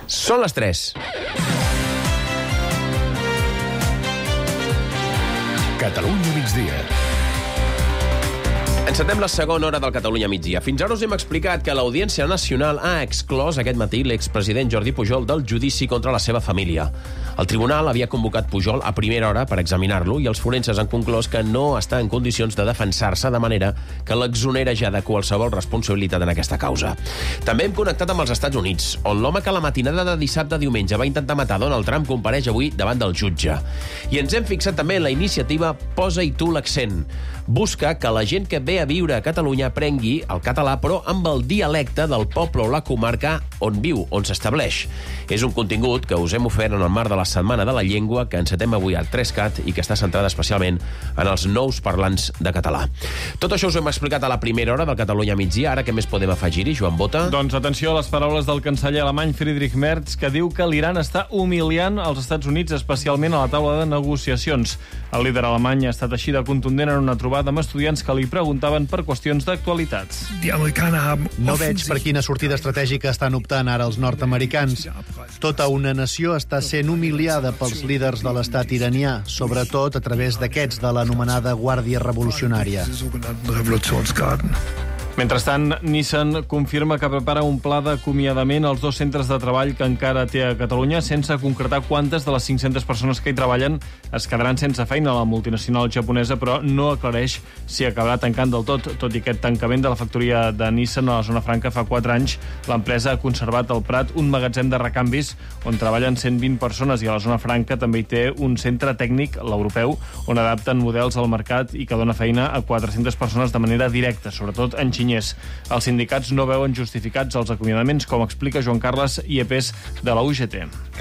Són les 3. Catalunya migdia. Encetem la segona hora del Catalunya migdia. Fins ara us hem explicat que l'Audiència Nacional ha exclòs aquest matí l'expresident Jordi Pujol del judici contra la seva família. El tribunal havia convocat Pujol a primera hora per examinar-lo i els forenses han conclòs que no està en condicions de defensar-se, de manera que l'exonera ja de qualsevol responsabilitat en aquesta causa. També hem connectat amb els Estats Units, on l'home que la matinada de dissabte a diumenge va intentar matar Donald Trump compareix avui davant del jutge. I ens hem fixat també en la iniciativa Posa-hi tu l'accent. Busca que la gent que ve a viure a Catalunya aprengui el català, però amb el dialecte del poble o la comarca on viu, on s'estableix. És un contingut que us hem ofert en el marc de la Setmana de la Llengua que encetem avui al 3CAT i que està centrada especialment en els nous parlants de català. Tot això us ho hem explicat a la primera hora del Catalunya migdia. Ara què més podem afegir-hi, Joan Bota? Doncs atenció a les paraules del canceller alemany Friedrich Merz, que diu que l'Iran està humiliant els Estats Units, especialment a la taula de negociacions. El líder alemany ha estat així de contundent en una trobada amb estudiants que li preguntaven per qüestions d'actualitat. No veig per quina sortida estratègica estan optant ara els nord-americans. Tota una nació està sent humiliada pels líders de l'estat iranià, sobretot a través d'aquests de l'anomenada Guàrdia Revolucionària. Mentrestant, Nissan confirma que prepara un pla d'acomiadament als 2 centres de treball que encara té a Catalunya, sense concretar quantes de les 500 persones que hi treballen es quedaran sense feina. La multinacional japonesa, però, no aclareix si acabarà tancant del tot. Tot i aquest tancament de la factoria de Nissan a la zona franca fa 4 anys, l'empresa ha conservat al Prat un magatzem de recanvis on treballen 120 persones i a la zona franca també hi té un centre tècnic, l'europeu, on adapten models al mercat i que dona feina a 400 persones de manera directa, sobretot en xinyès. Els sindicats no veuen justificats els acomiadaments, com explica Joan Carles Iepes de la UGT.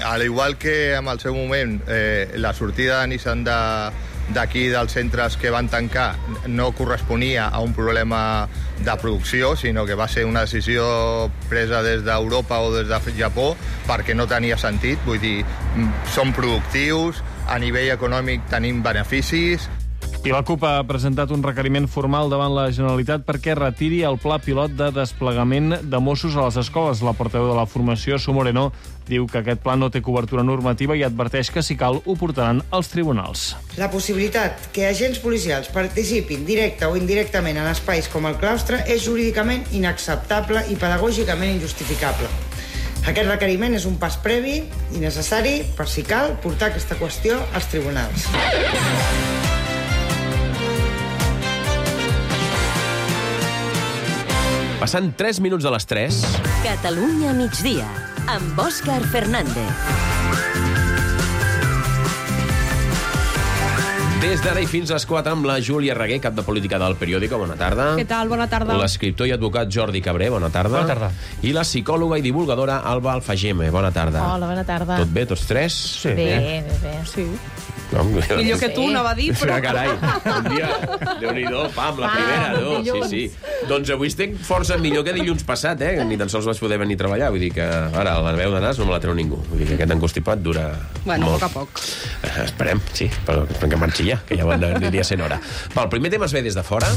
Al igual que en el seu moment la sortida de Nissan d'aquí dels centres que van tancar no corresponia a un problema de producció, sinó que va ser una decisió presa des d'Europa o des de Japó perquè no tenia sentit. Vull dir, som productius, a nivell econòmic tenim beneficis. I la CUP ha presentat un requeriment formal davant la Generalitat perquè retiri el pla pilot de desplegament de Mossos a les escoles. La portaveu de la formació, Su Moreno, diu que aquest pla no té cobertura normativa i adverteix que, si cal, ho portaran als tribunals. La possibilitat que agents policials participin directe o indirectament en espais com el claustre és jurídicament inacceptable i pedagògicament injustificable. Aquest requeriment és un pas previ i necessari per, si cal, portar aquesta qüestió als tribunals. Passant 3 minuts de les 3. Catalunya migdia, amb Òscar Fernández. Des d'ara i fins a les 4 amb la Júlia Reguer, cap de política del Periòdico. Bona tarda. Què tal? Bona tarda. L'escriptor i advocat Jordi Cabré. Bona tarda. Bona tarda. I la psicòloga i divulgadora Alba Alfageme. Bona tarda. Hola, bona tarda. Tot bé, tots tres? Sí. Bé. Sí. No, Millor que tu, no va dir, però... Carai, un dia, Déu-n'hi-do, pam, la primera, no? Sí. Doncs avui estic força millor que dilluns passat, Ni tan sols vaig poder venir a treballar. Vull dir que ara la veu de nas no me la treu ningú. Vull dir que aquest encostipat dura Bueno, molt. a poc. Esperem, sí, però que marxi ja, que ja aniria sent hora. Va, el primer tema es ve des de fora.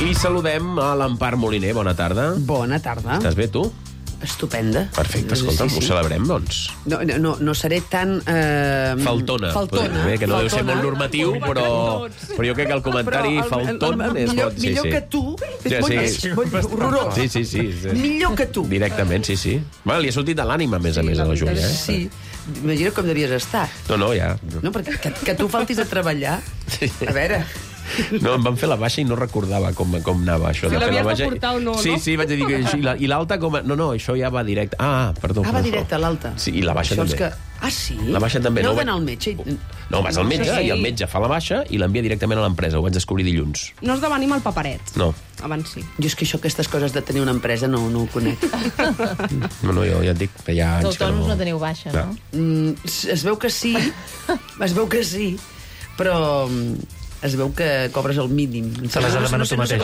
I saludem a l'Empar Moliner. Bona tarda. Bona tarda. Estàs bé, tu? Estupenda. Perfecte, escolta'm, ho celebrem, doncs. No seré tan... Faltona. Faltona. Que no deu ser molt normatiu, però jo crec que el comentari falton és bon. Millor que tu. És horrorós. Sí. Millor que tu. Directament, sí. Bueno, li ha sortit de l'ànima, a més a la Júlia. Sí. Imagina com devies estar. No, ja. No, perquè que tu faltis a treballar... A veure... No, em van fer la baixa i no recordava com anava això. Si de fer la l'havies baixa. de portar o no, no? Sí, vaig dir que... I l'alta com... No, això ja va directe. Perdó. Va directe a l'alta. Sí, i la baixa també. Sí? La baixa també. No d'anar al metge? No, vas al metge i el metge fa la baixa i l'envia directament a l'empresa. Ho vaig descobrir dilluns. No has de venir amb el paperet. No. Abans sí. Jo és que aquestes coses de tenir una empresa no ho conec. No, jo ja et dic que hi ha anys que D'autònoms no teniu baixa, no? Es veu que sí, però... Es veu que cobres el mínim. Se les ha demanat tu mateix.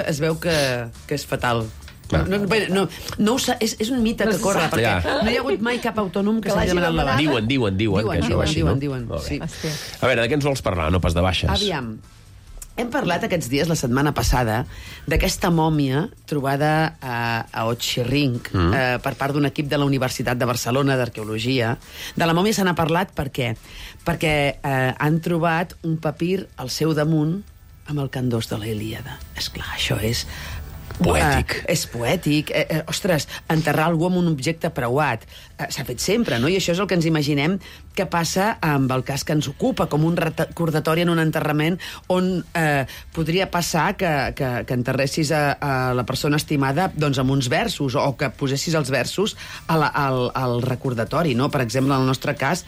Es veu que és fatal. No, és un mite que corre, perquè no hi ha hagut mai cap autònom que s'hagi demanat la baixa. Diuen que això va així, no? Sí. A veure, de què ens vols parlar? No pas de baixes. Aviam. Hem parlat aquests dies, la setmana passada, d'aquesta mòmia trobada a Otxirrinc per part d'un equip de la Universitat de Barcelona d'Arqueologia. De la mòmia se n'ha parlat per què? Perquè han trobat un papir al seu damunt amb el candós de la Ilíada. Esclar, això és... Poètic. És poètic. Ostres, enterrar algú amb un objecte preuat. S'ha fet sempre, no? I això és el que ens imaginem que passa amb el cas que ens ocupa, com un recordatori en un enterrament on podria passar que enterressis a la persona estimada doncs, amb uns versos, o que posessis els versos al recordatori, no? Per exemple, en el nostre cas,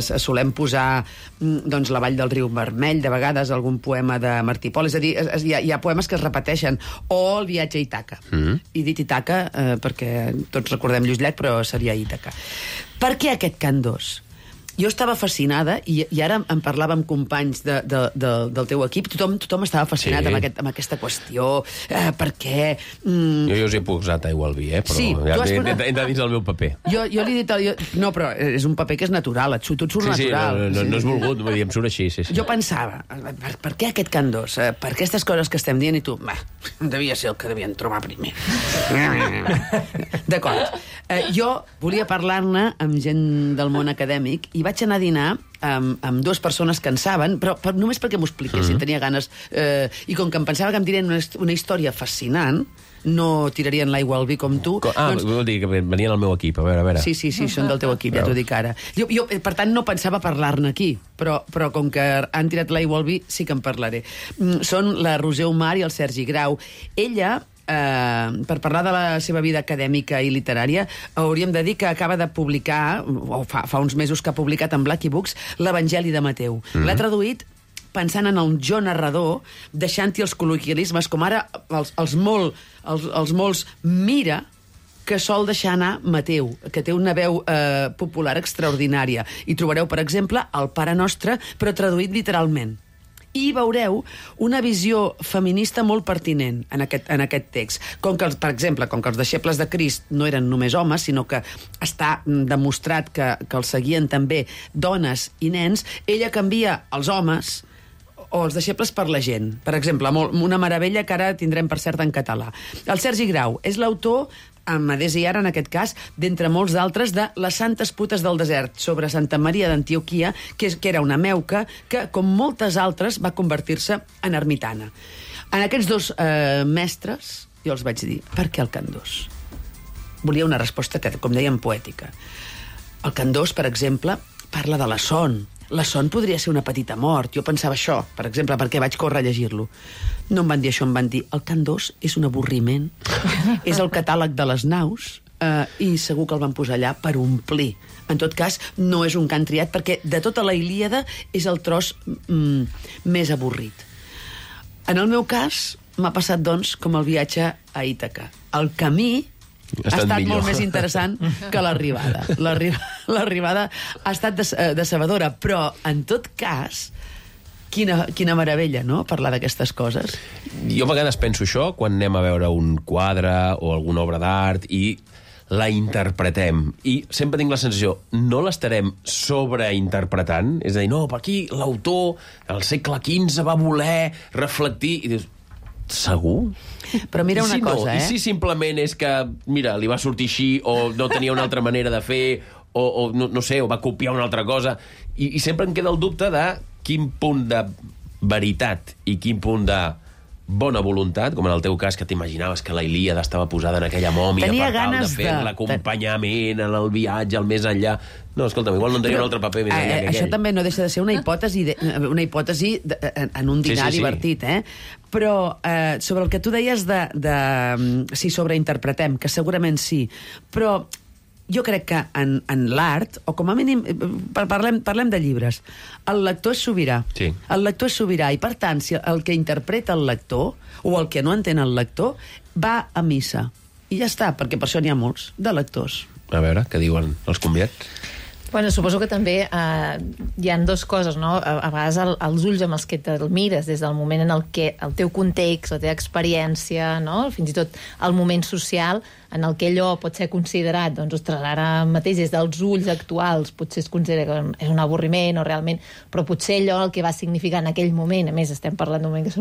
solem posar doncs, la Vall del Riu Vermell, de vegades algun poema de Martí Pol. És a dir, hi ha poemes que es repeteixen. O el viatge a Ítaca. He dit Ítaca perquè tots recordem Lluís Llach, però seria Ítaca. Per què aquest candós? Jo estava fascinada, i ara en parlava amb companys del teu equip, tothom estava fascinat amb aquesta qüestió, per què... Jo us he posat aigua al vi, però sí, hem de dins el meu paper. Jo li he dit... No, però és un paper que és natural, tot surt natural. No és volgut, vull dir, em surt així. Jo pensava, per què aquest candós? Per aquestes coses que estem dient, i tu, devia ser el que devien trobar primer. D'acord. Jo volia parlar-ne amb gent del món acadèmic i vaig anar a dinar amb dues persones que en saben, però només perquè m'ho expliquessin, tenia ganes. I com que em pensava que em dirien una història fascinant, no tirarien l'aigua al vi com tu. Vol dir que venien al meu equip, a veure. Sí, són del teu equip, ja t'ho dic ara. Jo, per tant, no pensava parlar-ne aquí, però com que han tirat l'aigua al vi, sí que en parlaré. Són la Roser Omar i el Sergi Grau. Ella... per parlar de la seva vida acadèmica i literària, hauríem de dir que acaba de publicar, o fa uns mesos que ha publicat en Blacky Books, l'Evangeli de Mateu. L'ha traduït pensant en el jo narrador, deixant-hi els col·loquialismes, com ara els molts mira, que sol deixar anar Mateu, que té una veu popular extraordinària. I trobareu, per exemple, el Pare Nostre, però traduït literalment. I veureu una visió feminista molt pertinent en aquest text. Per exemple, com que els deixebles de Crist no eren només homes, sinó que està demostrat que els seguien també dones i nens, ella canvia els homes o els deixebles per la gent. Per exemple, una meravella que ara tindrem per cert en català. El Sergi Grau és l'autor, amb Adés i Ara, en aquest cas, d'entre molts d'altres, de Les santes putes del desert, sobre Santa Maria d'Antioquia, que era una meuca que, com moltes altres, va convertir-se en ermitana. En aquests dos mestres, jo els vaig dir, per què el candós? Volia una resposta, com dèiem, poètica. El candós, per exemple, parla de la son. La son podria ser una petita mort. Jo pensava això, per exemple, perquè vaig córrer a llegir-lo. No em van dir això, em van dir el candós és un avorriment, és el catàleg de les naus, i segur que el van posar allà per omplir. En tot cas, no és un cant triat, perquè de tota la Ilíada és el tros més avorrit. En el meu cas, m'ha passat, doncs, com el viatge a Ítaca. El camí ha estat molt més interessant que l'arribada. L'arribada ha estat decebedora, però, en tot cas, quina meravella, no?, parlar d'aquestes coses. Jo a vegades penso això quan anem a veure un quadre o alguna obra d'art i la interpretem. I sempre tinc la sensació, no l'estarem sobreinterpretant? És a dir, no, per aquí l'autor, al segle XV, va voler reflectir... I dius, segur? Però mira una cosa, I si simplement és que, mira, li va sortir així, o no tenia una altra manera de fer, o no sé, o va copiar una altra cosa, i sempre em queda el dubte de quin punt de veritat i quin punt de bona voluntat, com en el teu cas, que t'imaginaves que la Ilíada estava posada en aquella mòmia per tal de fer l'acompanyament en el viatge al més enllà. No, escolta'm, igual no en tenia un altre paper més enllà que aquell. Això també no deixa de ser una hipòtesi en un dinar divertit, Però sobre el que tu deies de si sobreinterpretem, que segurament sí, però jo crec que en l'art, o com a mínim, parlem de llibres, el lector és sobirà. Sí. El lector és sobirà, i per tant, si el que interpreta el lector, o el que no entén el lector, va a missa. I ja està, perquè per això n'hi ha molts, de lectors. A veure, què diuen els convidats? Bueno, suposo que també hi ha dues coses, no? A vegades els ulls amb els que te'l mires des del moment en el que el teu context, la teva experiència, no? Fins i tot el moment social en el que allò pot ser considerat, doncs, ostres, ara mateix des dels ulls actuals potser es considera que és un avorriment o realment, però potser allò el que va significar en aquell moment, a més estem parlant d'un moment que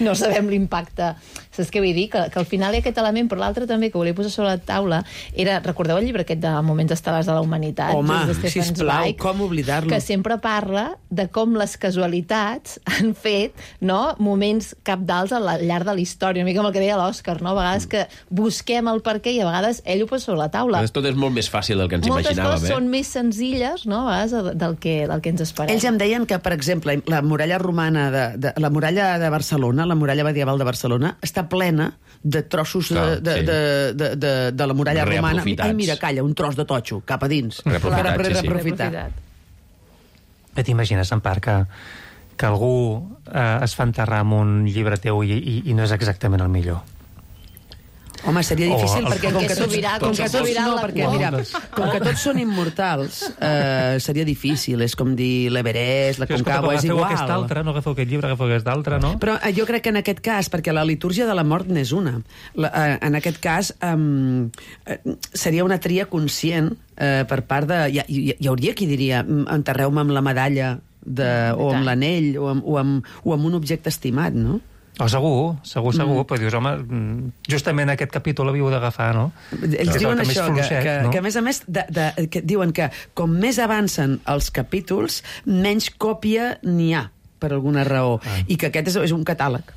no sabem l'impacte, saps què vull dir? Que al final hi ha aquest element, però l'altre també que volia posar sobre la taula era, recordeu el llibre aquest de Moments estel·lars de la humanitat? Home, sisplau, com oblidar-lo? Que sempre parla de com les casualitats han fet, no?, moments cabdals al llarg de la història, una mica amb el que deia l'Òscar, no? A vegades que busquem el perquè i a vegades ell ho posa sobre la taula. Tot és molt més fàcil del que ens imaginàvem. Moltes coses són més senzilles, no?, a vegades del que ens esperem. Ells em deien que, per exemple, la muralla romana, la muralla de Barcelona, la muralla medieval de Barcelona, està plena de trossos de la muralla romana. Ai, mira, calla, un tros de totxo, cap a dins. Reaprofitat. T'imagines, en part, que algú es fa enterrar amb un llibre teu i no és exactament el millor? Home, seria difícil perquè com que tots són immortals, seria difícil. És com dir l'Everest, la Concagua, és igual. No agafeu aquest llibre, agafeu aquest altre, no? Però jo crec que en aquest cas, perquè la litúrgia de la mort n'és una, en aquest cas seria una tria conscient per part de... Hi hauria qui diria, enterreu-me amb la medalla o amb l'anell o amb un objecte estimat, no? Segur, però dius, home, justament aquest capítol l'havíeu d'agafar, no? Ells diuen això, que a més, que diuen que com més avancen els capítols, menys còpia n'hi ha, per alguna raó, i que aquest és un catàleg.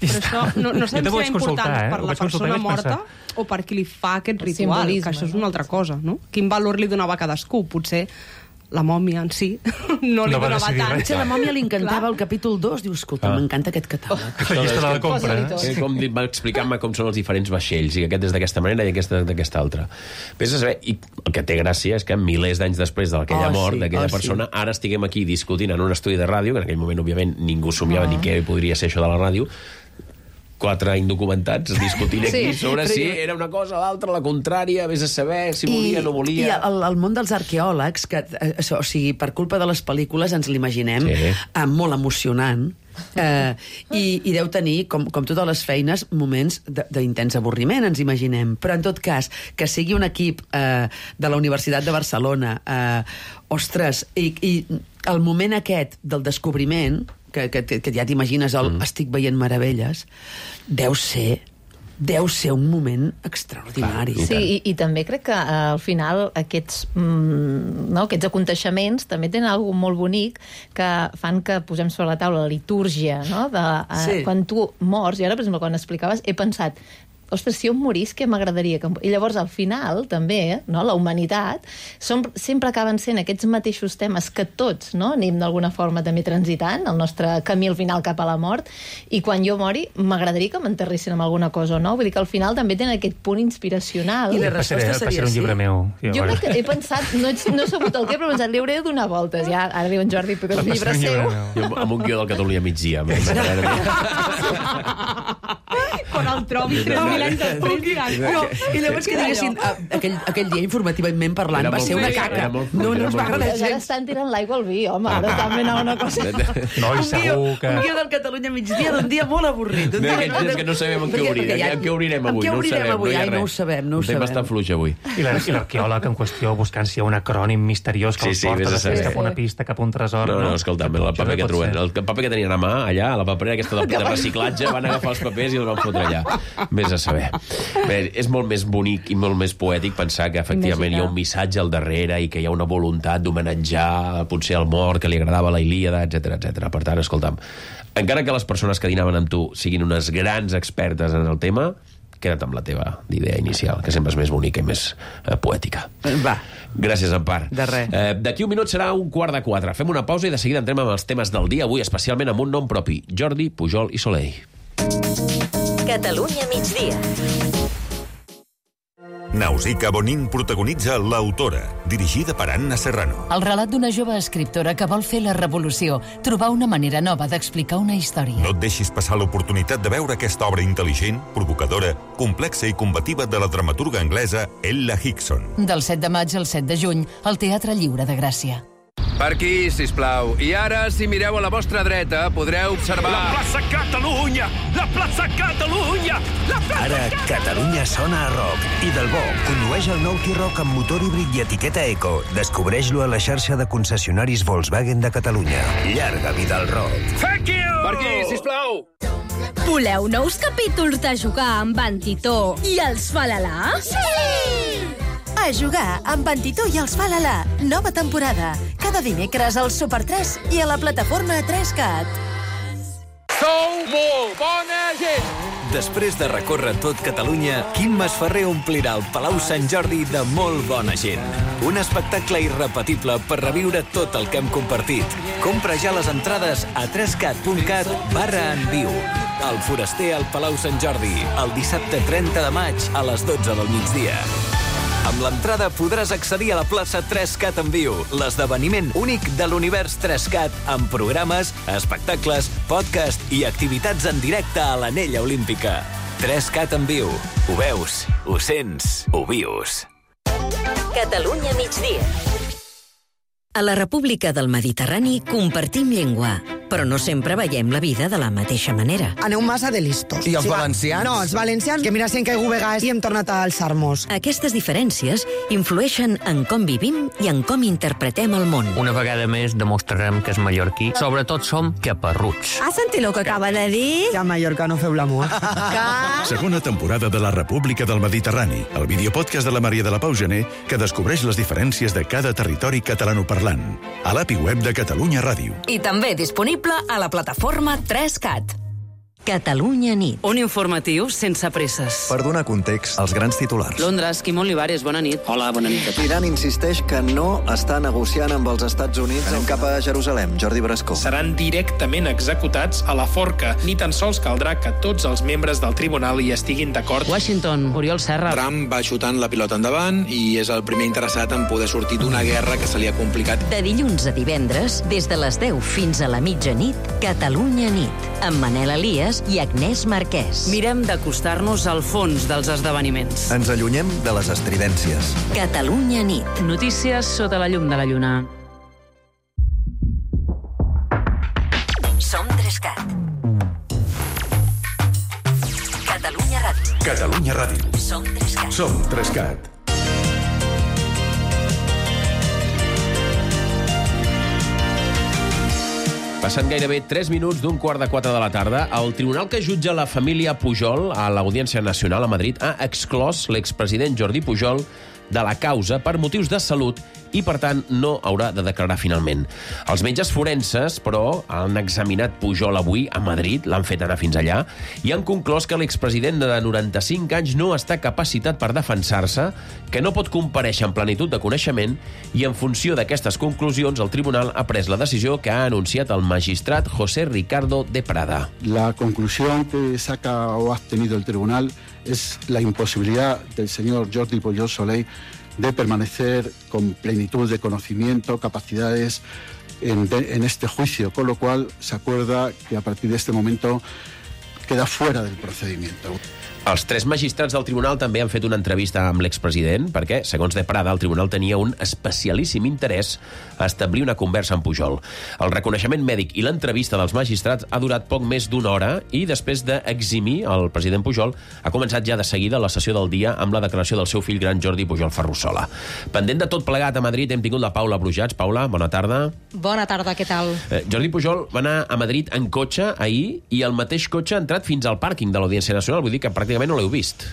Però això no sabem si és important per la persona morta o per qui li fa aquest ritual, que això és una altra cosa, no? Quin valor li donava a cadascú? Potser la mòmia en si no li donava tant. Potser la mòmia li encantava el capítol 2, diu, escolta, m'encanta aquest catàleg. La llista de la compra, Com va explicant-me com són els diferents vaixells, i aquest és d'aquesta manera i aquest d'aquesta altra. Vés a saber, i el que té gràcia és que milers d'anys després d'aquella mort d'aquella persona, ara estiguem aquí discutint en un estudi de ràdio, que en aquell moment, òbviament, ningú somiava ni què podria ser això de la ràdio, 4 indocumentats discutint aquí sobre si era una cosa o l'altra, la contrària, vés a saber si volia o no volia. I el món dels arqueòlegs, que, o sigui, per culpa de les pel·lícules ens l'imaginem molt emocionant, i deu tenir, com totes les feines, moments d'intens avorriment, ens imaginem. Però, en tot cas, que sigui un equip de la Universitat de Barcelona, ostres, i el moment aquest del descobriment, que ja t'imagines estic veient meravelles, deu ser un moment extraordinari. Sí, i també crec que al final aquests aconteixements també tenen alguna molt bonic que fan que posem sobre la taula la litúrgia, no? Quan tu mors, i ara, per exemple, quan explicaves, he pensat, ostres, si jo em morís, què m'agradaria? I llavors, al final, també, la humanitat, sempre acaben sent aquests mateixos temes que tots anem d'alguna forma també transitant, el nostre camí al final cap a la mort, i quan jo mori, m'agradaria que m'enterressin amb alguna cosa o no. Vull dir que al final també tenen aquest punt inspiracional. I la resposta seria un llibre meu. Jo he pensat, no he sabut el què, però he pensat, li hauré de donar voltes. Ja, ara diu en Jordi, però el llibre seu. Jo amb un guió del Catalunya migdia. Quan el trobi 3.000 anys després diran... I llavors que diguessin, aquell dia informativament parlant va ser una caca. No ens va agradar gens. Ara estan tirant l'aigua al vi, home, ara estan fent una cosa... No, i segur que... Un guió del Catalunya migdia d'un dia molt avorrit. És que no sabem en què obrir. En què obrirem avui? No ho sabem. Un tema està fluix avui. I l'arqueòleg en qüestió buscant si hi ha un acrònim misteriós que el porta després cap a una pista, cap a un tresor. No, escolta'm, el paper que trobem. El paper que tenien a mà, allà, a la paperera aquesta de reciclatge, van agafar els papers i els van fotre allà. Vés a saber. Bé, és molt més bonic i molt més poètic pensar que efectivament hi ha un missatge al darrere i que hi ha una voluntat d'homenatjar potser el mort que li agradava la Ilíada, etc. Per tant, escolta'm, encara que les persones que dinaven amb tu siguin unes grans expertes en el tema, queda't amb la teva idea inicial, que sempre és més bonica i més poètica. Va. Gràcies, Empar. De res. D'aquí un minut serà 3:15. Fem una pausa i de seguida entrem amb els temes del dia, avui especialment amb un nom propi, Jordi, Pujol i Soleil. Catalunya migdia. Nausicaa Bonin protagonitza L'autora, dirigida per Anna Serrano. El relat d'una jove escriptora que vol fer la revolució, trobar una manera nova d'explicar una història. No et deixis passar l'oportunitat de veure aquesta obra intel·ligent, provocadora, complexa i combativa de la dramaturga anglesa Ella Hickson. Del 7 de maig al 7 de juny, al Teatre Lliure de Gràcia. Per aquí, sisplau. I ara, si mireu a la vostra dreta, podreu observar... La plaça Catalunya! La plaça Catalunya! La plaça Ara, Catalunya sona a rock. I Del Bo condueix el nou T-Roc amb motor híbrid i etiqueta Eco. Descobreix-lo a la xarxa de concessionaris Volkswagen de Catalunya. Llarga vida al rock. Thank you! Per aquí, sisplau! Voleu nous capítols de Jugar amb en Titó i els Falala? Sí! A Jugar amb en Titó i els Falala. Nova temporada. Cada dimecres al Super 3 i a la plataforma 3CAT. Sou molt bona gent! Després de recórrer tot Catalunya, Quim Masferrer omplirà el Palau Sant Jordi de molt bona gent. Un espectacle irrepetible per reviure tot el que hem compartit. Compra ja les entrades a 3cat.cat/enviu. El Foraster al Palau Sant Jordi, el dissabte 30 de maig a les 12 del migdia. Amb l'entrada podràs accedir a la plaça 3CAT en viu, l'esdeveniment únic de l'univers 3CAT, amb programes, espectacles, podcast i activitats en directe a l'Anella Olímpica. 3CAT en viu. Ho veus, ho sents, ho vius. Catalunya migdia. A la República del Mediterrani compartim llengua, però no sempre veiem la vida de la mateixa manera. Aneu massa de listos. I els valencians? No, els valencians, que mira si hem caigut vegades i hem tornat a alçar-nos. Aquestes diferències influeixen en com vivim i en com interpretem el món. Una vegada més demostrarem que és mallorquí. Sobretot som caparruts. Has sentit el que acaba de dir? Que a Mallorca no feu l'amor. Segona temporada de la República del Mediterrani, el videopodcast de la Maria de la Pau Gené, que descobreix les diferències de cada territori catalanoparlant. A l'API web de Catalunya Ràdio. I també disponible a la plataforma 3CAT. Catalunya nit. Un informatiu sense presses. Per donar context als grans titulars. Londres, Quim Olivares, bona nit. Hola, bona nit. L'Iran insisteix que no està negociant amb els Estats Units. Anem cap a Jerusalem. Jordi Brascó. Seran directament executats a la forca. Ni tan sols caldrà que tots els membres del tribunal hi estiguin d'acord. Washington, Oriol Serra. Trump va xutant la pilota endavant i és el primer interessat en poder sortir d'una guerra que se li ha complicat. De dilluns a divendres, des de les 10 fins a la mitjanit, Catalunya nit, amb Manel Elias i Agnès Marquès. Mirem d'acostar-nos al fons dels esdeveniments. Ens allunyem de les estridències. Catalunya nit. Notícies sota la llum de la lluna. Som 3CAT. Catalunya Ràdio. Catalunya Ràdio. Som 3CAT. Som 3CAT. Passant gairebé 3 minuts d'un 3:45 de la tarda, el tribunal que jutja la família Pujol a l'Audiència Nacional a Madrid ha exclòs l'expresident Jordi Pujol de la causa per motius de salut i, per tant, no haurà de declarar finalment. Els metges forenses, però, han examinat Pujol avui a Madrid, l'han fet anar fins allà, i han conclòs que l'expresident de 95 anys no està capacitat per defensar-se, que no pot comparèixer en plenitud de coneixement, i en funció d'aquestes conclusions el tribunal ha pres la decisió que ha anunciat el magistrat José Ricardo de Prada. La conclusión que saca o ha obtenido el tribunal es la imposibilidad del señor Jordi Pujol Soley de permanecer con plenitud de conocimiento, capacidades en este juicio, con lo cual se acuerda que a partir de este momento queda fuera del procedimiento. Els 3 magistrats del tribunal també han fet una entrevista amb l'expresident perquè, segons de Prada, el tribunal tenia un especialíssim interès a establir una conversa amb Pujol. El reconeixement mèdic i l'entrevista dels magistrats ha durat poc més d'una hora i, després d'eximir el president Pujol, ha començat ja de seguida la sessió del dia amb la declaració del seu fill gran Jordi Pujol Ferrusola. Pendent de tot plegat a Madrid hem tingut la Paula Brujats. Paula, bona tarda. Bona tarda, què tal? Jordi Pujol va anar a Madrid en cotxe ahir i el mateix cotxe ha entrat fins al pàrquing de l'Audiència Nacional, vull dir que pràcticament no l'heu vist.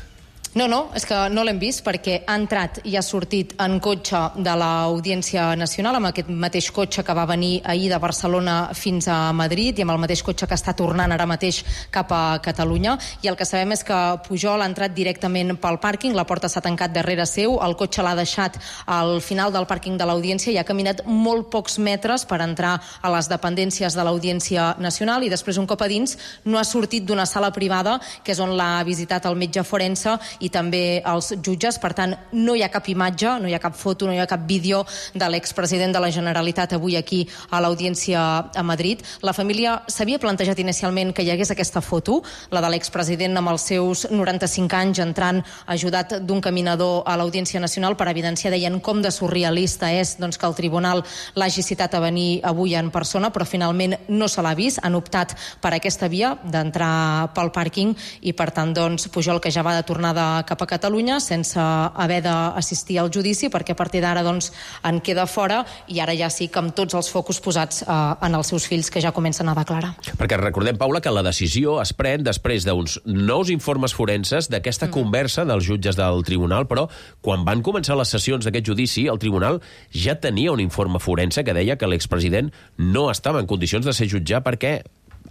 No, és que no l'hem vist perquè ha entrat i ha sortit en cotxe de l'Audiència Nacional, amb aquest mateix cotxe que va venir ahir de Barcelona fins a Madrid i amb el mateix cotxe que està tornant ara mateix cap a Catalunya. I el que sabem és que Pujol ha entrat directament pel pàrquing, la porta s'ha tancat darrere seu, el cotxe l'ha deixat al final del pàrquing de l'Audiència i ha caminat molt pocs metres per entrar a les dependències de l'Audiència Nacional i després, un cop a dins, no ha sortit d'una sala privada, que és on l'ha visitat el metge forense, i també els jutges. Per tant, no hi ha cap imatge, no hi ha cap foto, no hi ha cap vídeo de l'expresident de la Generalitat avui aquí a l'Audiència a Madrid. La família s'havia plantejat inicialment que hi hagués aquesta foto, la de l'expresident amb els seus 95 anys entrant ajudat d'un caminador a l'Audiència Nacional per evidenciar, deien, com de surrealista és que el tribunal l'hagi citat a venir avui en persona, però finalment no se l'ha vist. Han optat per aquesta via d'entrar pel pàrquing i, per tant, Pujol, que ja va de tornada cap a Catalunya sense haver d'assistir al judici, perquè a partir d'ara en queda fora i ara ja sí que amb tots els focus posats en els seus fills, que ja comencen a declarar. Perquè recordem, Paula, que la decisió es pren després d'uns nous informes forenses d'aquesta conversa dels jutges del tribunal, però quan van començar les sessions d'aquest judici, el tribunal ja tenia un informe forense que deia que l'expresident no estava en condicions de ser jutjat.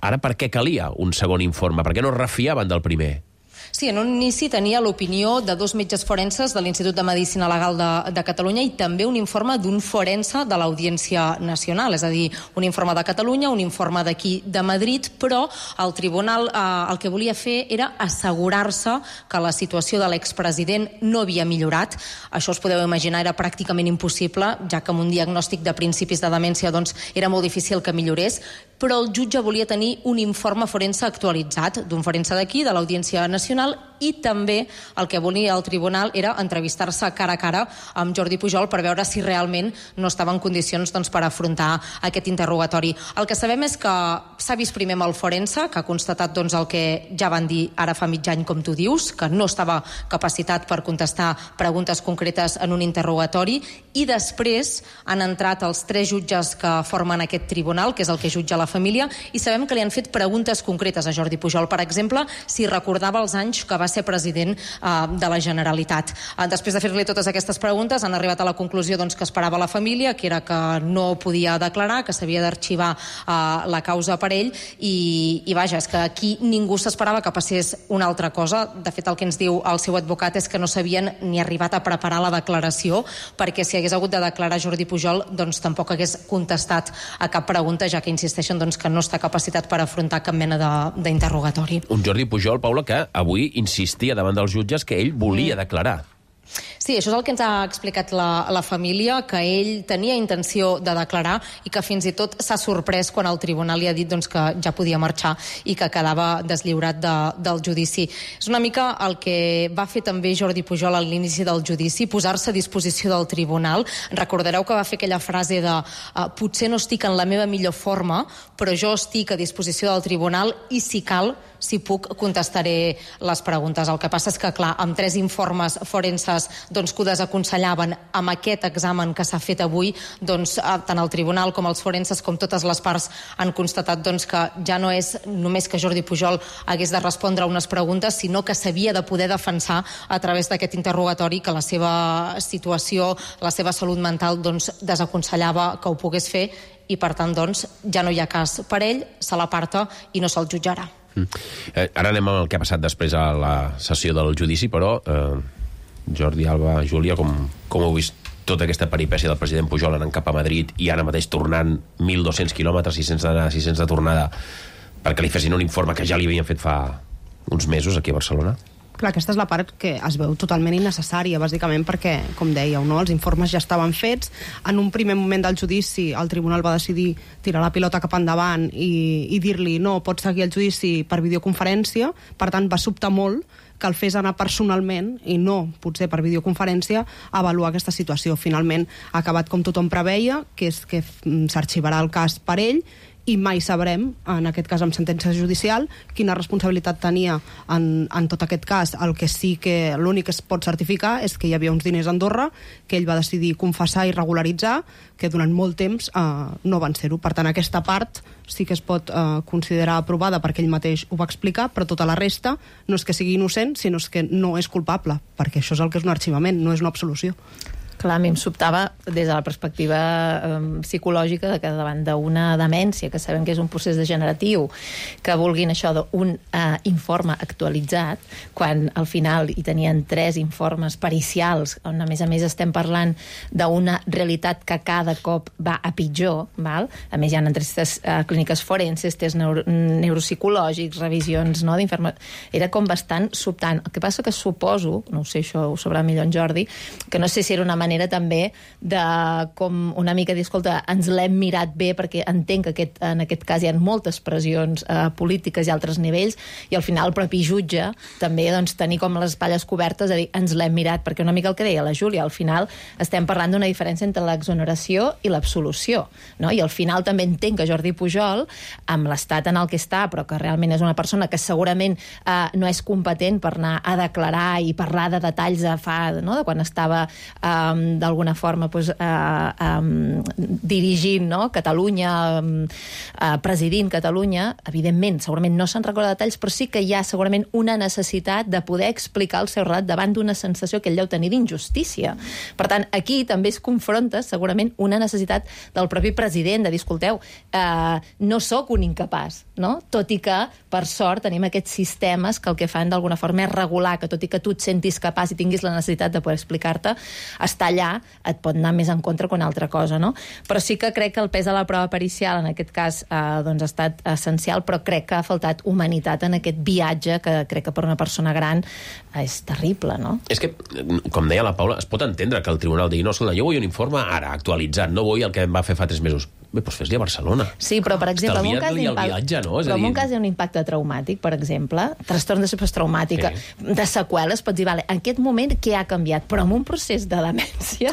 Ara per què calia un segon informe? Per què no es refiaven del primer? Sí, en un inici tenia l'opinió de 2 metges forenses de l'Institut de Medicina Legal de Catalunya i també un informe d'un forense de l'Audiència Nacional, és a dir, un informe de Catalunya, un informe d'aquí de Madrid, però el tribunal el que volia fer era assegurar-se que la situació de l'expresident no havia millorat. Això us podeu imaginar, era pràcticament impossible, ja que amb un diagnòstic de principis de demència era molt difícil que millorés, però el jutge volia tenir un informe forense actualitzat d'un forense d'aquí, de l'Audiència Nacional, i també el que volia el tribunal era entrevistar-se cara a cara amb Jordi Pujol per veure si realment no estava en condicions per afrontar aquest interrogatori. El que sabem és que s'ha vist primer amb el forense, que ha constatat el que ja van dir ara fa mig any, com tu dius, que no estava capacitat per contestar preguntes concretes en un interrogatori, i després han entrat els 3 jutges que formen aquest tribunal, que és el que jutja la família, i sabem que li han fet preguntes concretes a Jordi Pujol. Per exemple, si recordava els anys que va ser president de la Generalitat. Després de fer-li totes aquestes preguntes, han arribat a la conclusió que esperava la família, que era que no podia declarar, que s'havia d'arxivar la causa per ell, i vaja, és que aquí ningú s'esperava que passés una altra cosa. De fet, el que ens diu el seu advocat és que no s'havien ni arribat a preparar la declaració, perquè si hagués hagut de declarar Jordi Pujol, tampoc hagués contestat a cap pregunta, ja que insisteixen que no està capacitat per afrontar cap mena d'interrogatori. Un Jordi Pujol, Paula, que avui insistia davant dels jutges que ell volia declarar. Sí, això és el que ens ha explicat la família, que ell tenia intenció de declarar i que fins i tot s'ha sorprès quan el tribunal li ha dit que ja podia marxar i que quedava deslliurat del judici. És una mica el que va fer també Jordi Pujol a l'inici del judici, posar-se a disposició del tribunal. Recordareu que va fer aquella frase de potser no estic en la meva millor forma, però jo estic a disposició del tribunal i si cal, si puc, contestaré les preguntes. El que passa és que, clar, amb 3 informes forenses que ho desaconsellaven, amb aquest examen que s'ha fet avui, tant el tribunal com els forenses com totes les parts han constatat que ja no és només que Jordi Pujol hagués de respondre a unes preguntes, sinó que s'havia de poder defensar a través d'aquest interrogatori, que la seva situació, la seva salut mental desaconsellava que ho pogués fer, i per tant ja no hi ha cas per ell, se l'aparta i no se'l jutjarà. Ara anem amb el que ha passat després a la sessió del judici, però Jordi, Alba, Júlia, com heu vist tota aquesta peripècia del president Pujol anant cap a Madrid i ara mateix tornant 1.200 quilòmetres, 600 d'anada, 600 de tornada, perquè li fessin un informe que ja li havien fet fa uns mesos aquí a Barcelona? Clar, aquesta és la part que es veu totalment innecessària, bàsicament perquè, com dèieu, els informes ja estaven fets. En un primer moment del judici, el tribunal va decidir tirar la pilota cap endavant i dir-li no, pots seguir el judici per videoconferència. Per tant, va sobtar molt que el fes anar personalment i no, potser per videoconferència, a avaluar aquesta situació. Finalment ha acabat com tothom preveia, que és que s'arxivarà el cas per ell, i mai sabrem, en aquest cas amb sentència judicial, quina responsabilitat tenia en tot aquest cas. El que sí que l'únic que es pot certificar és que hi havia uns diners a Andorra que ell va decidir confessar i regularitzar, que durant molt temps no van ser-ho. Per tant, aquesta part sí que es pot considerar aprovada perquè ell mateix ho va explicar, però tota la resta no és que sigui innocent, sinó que no és culpable, perquè això és el que és un arxivament, no és una absolució. Clar, a mi em sobtava des de la perspectiva psicològica de que davant d'una demència, que sabem que és un procés degeneratiu, que vulguin això d'un informe actualitzat, quan al final hi tenien 3 informes pericials, on a més estem parlant d'una realitat que cada cop va a pitjor, val? A més hi ha entrevistes clíniques forenses, tests neuropsicològics, revisions, no, d'inferma... Era com bastant sobtant. El que passa que suposo, no ho sé, això ho sabrà millor en Jordi, que no sé si era una manera també de com una mica dir, escolta, ens l'hem mirat bé perquè entenc que en aquest cas hi ha moltes pressions polítiques i altres nivells, i al final el propi jutge també doncs, tenir com les espatlles cobertes a dir, ens l'hem mirat, perquè una mica el que deia la Júlia, al final estem parlant d'una diferència entre l'exoneració i l'absolució, no? I al final també entenc que Jordi Pujol, amb l'estat en el que està, però que realment és una persona que segurament no és competent per anar a declarar i parlar de detalls de quan estava d'alguna forma dirigint Catalunya, presidint Catalunya, evidentment, segurament no se'n recorda detalls, però sí que hi ha segurament una necessitat de poder explicar el seu relat davant d'una sensació que ell deu tenir d'injustícia. Per tant, aquí també es confronta segurament una necessitat del propi president de dir, escolteu, no sóc un incapaç, no? Tot i que, per sort, tenim aquests sistemes que el que fan d'alguna forma és regular, que tot i que tu et sentis capaç i tinguis la necessitat de poder explicar-te, estar allà et pot anar més en contra que una altra cosa, no? Però sí que crec que el pes de la prova pericial en aquest cas doncs ha estat essencial, però crec que ha faltat humanitat en aquest viatge que crec que per una persona gran és terrible, no? És que, com deia la Paula, es pot entendre que el tribunal digui, no, escolta, jo vull un informe ara, actualitzat, no vull el que em va fer fa 3 mesos. Bé, doncs fes-li a Barcelona. Sí, però, per exemple, en un cas un cas hi ha un impacte traumàtic, per exemple, trastorn de postraumàtica, de seqüeles, pots dir, vale, en aquest moment què ha canviat? Però en un procés de demència,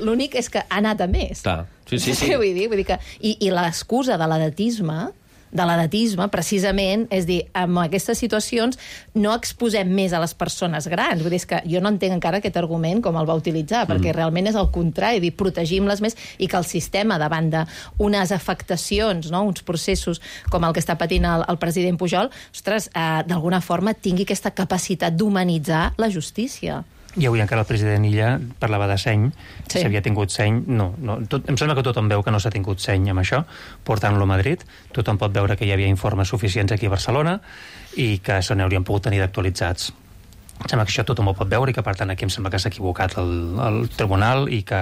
l'únic és que ha anat a més. Clar, sí. Vull dir que, i l'excusa de l'edatisme, precisament, és dir, en aquestes situacions no exposem més a les persones grans. Vull dir, és que jo no entenc encara aquest argument com el va utilitzar, perquè realment és el contrari, dir, protegim-les més i que el sistema, davant d'unes afectacions, no?, uns processos com el que està patint el president Pujol, ostres, d'alguna forma tingui aquesta capacitat d'humanitzar la justícia. I avui encara el president Illa parlava de seny, si havia tingut seny, no. Em sembla que tothom veu que no s'ha tingut seny amb això, portant-lo a Madrid. Tothom pot veure que hi havia informes suficients aquí a Barcelona i que se n'haurien pogut tenir d'actualitzats. Em sembla que això tothom ho pot veure i que, per tant, aquí em sembla que s'ha equivocat el tribunal i que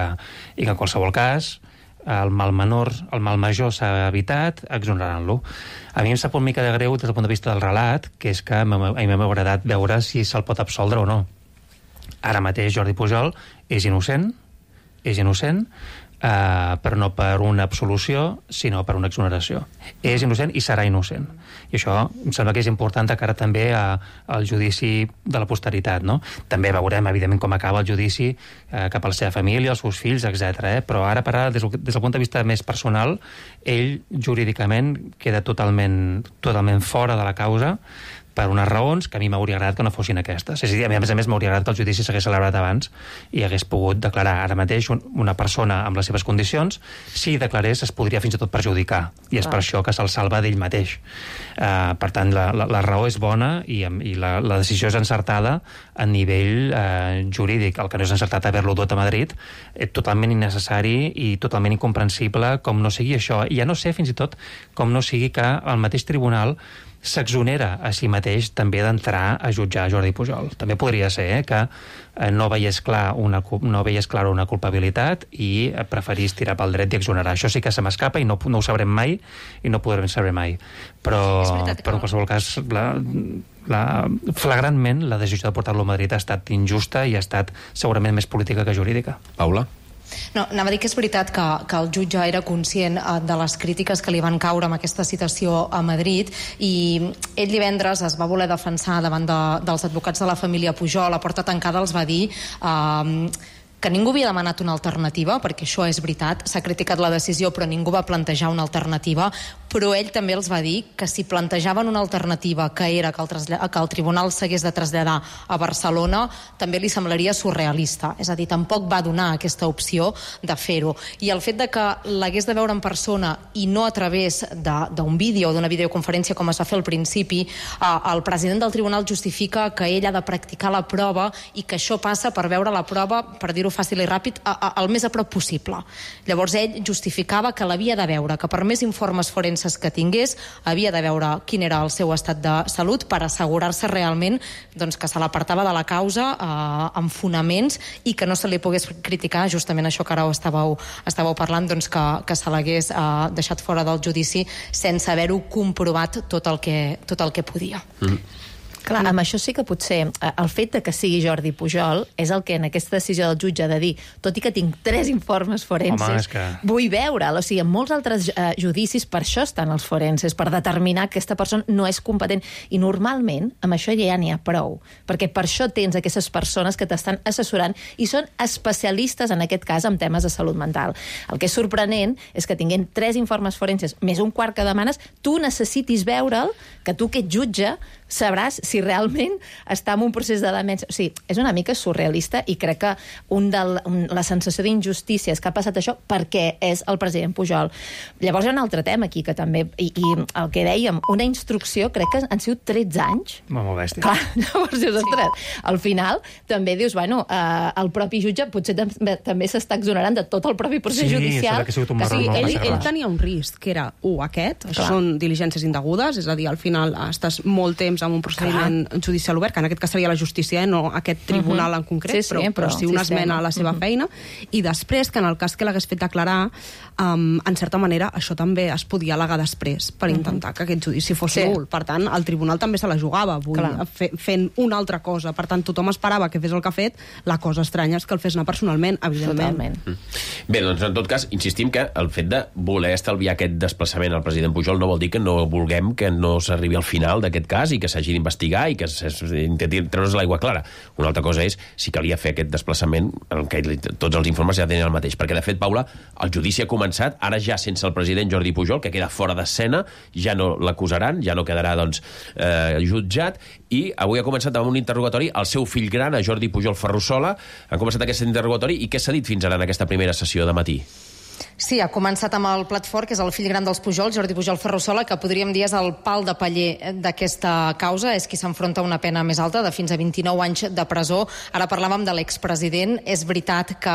en qualsevol cas el mal menor, el mal major s'ha evitat exonerant-lo. A mi em sap una mica de greu des del punt de vista del relat, que és que a mi m'ha agradat veure si se'l pot absoldre o no. Ara mateix Jordi Pujol és innocent, però no per una absolució, sinó per una exoneració. És innocent i serà innocent. I això em sembla que és important de cara també al judici de la posteritat, no? També veurem, evidentment, com acaba el judici cap a la seva família, els seus fills, etc. Però ara, des del punt de vista més personal, ell jurídicament queda totalment fora de la causa, per unes raons que a mi m'hauria agradat que no fossin aquestes. És a dir, a més m'hauria agradat que el judici s'hagués celebrat abans i hagués pogut declarar ara mateix una persona amb les seves condicions. Si declarés, es podria fins i tot perjudicar, i és per això que se'l salva d'ell mateix. Per tant, la raó és bona i la decisió és encertada a nivell jurídic. El que no és encertat haver-lo dut a Madrid és totalment innecessari i totalment incomprensible com no sigui això. I ja no sé, fins i tot, com no sigui que el mateix tribunal s'exonera a si mateix també d'entrar a jutjar Jordi Pujol. També podria ser que no veiés clara una culpabilitat i preferís tirar pel dret i exonerar. Això sí que se m'escapa i no ho sabrem mai i no podrem saber mai. Però en qualsevol cas, flagrantment, la decisió de portar-lo a Madrid ha estat injusta i ha estat segurament més política que jurídica. Paula? No, anava a dir que és veritat que el jutge era conscient de les crítiques que li van caure amb aquesta citació a Madrid i ell divendres es va voler defensar davant dels advocats de la família Pujol. A porta tancada els va dir que ningú havia demanat una alternativa, perquè això és veritat, s'ha criticat la decisió però ningú va plantejar una alternativa, però ell també els va dir que si plantejaven una alternativa que era que el tribunal s'hagués de traslladar a Barcelona, també li semblaria surrealista. És a dir, tampoc va donar aquesta opció de fer-ho. I el fet de que l'hagués de veure en persona i no a través d'un vídeo o d'una videoconferència com es va fer al principi, el president del tribunal justifica que ell ha de practicar la prova i que això passa per veure la prova, per dir-ho fàcil i ràpid, el més a prop possible. Llavors ell justificava que l'havia de veure, que per més informes forenses que tingués, havia de veure quin era el seu estat de salut per assegurar-se realment doncs, que se l'apartava de la causa amb fonaments i que no se li pogués criticar justament això que ara estàveu parlant, doncs, que se l'hagués deixat fora del judici sense haver-ho comprovat tot el que podia. Clar, amb això sí que potser el fet de que sigui Jordi Pujol és el que en aquesta decisió del jutge ha de dir, tot i que tinc 3 informes forenses, vull veure'l. O sigui, en molts altres judicis per això estan els forenses, per determinar que aquesta persona no és competent. I normalment amb això ja n'hi ha prou, perquè per això tens aquestes persones que t'estan assessorant i són especialistes, en aquest cas, en temes de salut mental. El que és sorprenent és que tinguent 3 informes forenses més un quart que demanes, tu necessitis veure'l, que tu que ets jutge sabràs si realment està en un procés de demència. O sigui, és una mica surrealista i crec que la sensació d'injustícia és que ha passat això perquè és el president Pujol. Llavors hi ha un altre tema aquí que també, i el que dèiem, una instrucció, crec que han sigut 13 anys. Molt bèstia. Clar, llavors dius, ostres, al final també dius, bueno, el propi jutge potser també s'està exonerant de tot el propi procés judicial. Ell tenia un risc, que era, aquest, això són diligències indegudes, és a dir, al final estàs molt temps amb un procediment judicial obert, que en aquest cas seria la justícia, no aquest tribunal en concret, però sí una esmena a la seva feina, i després que en el cas que l'hagués fet declarar, en certa manera això també es podia al·legar després per intentar que aquest judici fos nul. Per tant, el tribunal també se la jugava fent una altra cosa. Per tant, tothom esperava que fes el que ha fet. La cosa estranya és que el fes anar personalment, evidentment. Bé, doncs en tot cas, insistim que el fet de voler estalviar aquest desplaçament al president Pujol no vol dir que no vulguem que no s'arribi al final d'aquest cas i que s'hagi d'investigar i que s'intenti treure's l'aigua clara. Una altra cosa és si calia fer aquest desplaçament en què tots els informes ja tenen el mateix. Perquè, de fet, Paula, el judici ha començat, ara ja sense el president Jordi Pujol, que queda fora d'escena, ja no l'acusaran, ja no quedarà jutjat, i avui ha començat amb un interrogatori al seu fill gran, a Jordi Pujol Ferrusola. Han començat aquest interrogatori i què s'ha dit fins ara en aquesta primera sessió de matí? Sí, ha començat amb el plat fort, que és el fill gran dels Pujol, Jordi Pujol Ferrusola, que podríem dir és el pal de paller d'aquesta causa, és qui s'enfronta a una pena més alta, de fins a 29 anys de presó. Ara parlàvem de l'expresident. És veritat que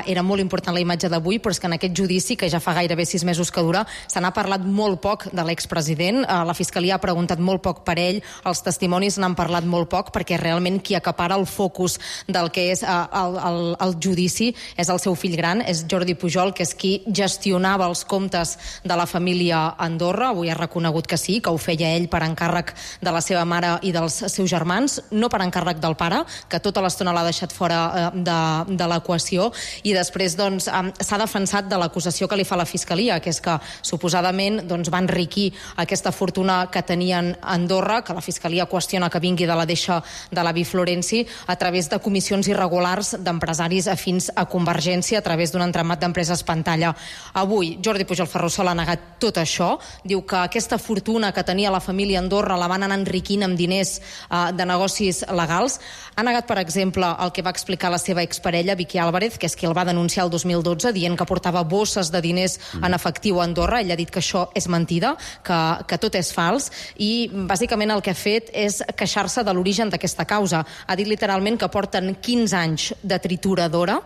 era molt important la imatge d'avui, però és que en aquest judici, que ja fa gairebé 6 mesos que dura, se n'ha parlat molt poc de l'expresident. La Fiscalia ha preguntat molt poc per ell, els testimonis n'han parlat molt poc, perquè realment qui acapara el focus del que és el judici és el seu fill gran, és Jordi Pujol, que és qui gestionava els comptes de la família Andorra. Avui ha reconegut que sí, que ho feia ell per encàrrec de la seva mare i dels seus germans, no per encàrrec del pare, que tota l'estona l'ha deixat fora de l'equació. I després s'ha defensat de l'acusació que li fa la Fiscalia, que és que suposadament va enriquir aquesta fortuna que tenien a Andorra, que la Fiscalia qüestiona que vingui de la deixa de l'avi Florenci, a través de comissions irregulars d'empresaris afins a Convergència, a través d'un entramat d'empreses pantalla. Avui Jordi Pujol Ferrusola ha negat tot això, diu que aquesta fortuna que tenia la família Andorra la van anar enriquint amb diners de negocis legals. Ha negat, per exemple, el que va explicar la seva exparella, Vicky Álvarez, que és qui el va denunciar el 2012, dient que portava bosses de diners en efectiu a Andorra. Ell ha dit que això és mentida, que tot és fals, i bàsicament el que ha fet és queixar-se de l'origen d'aquesta causa. Ha dit literalment que porten 15 anys de trituradora,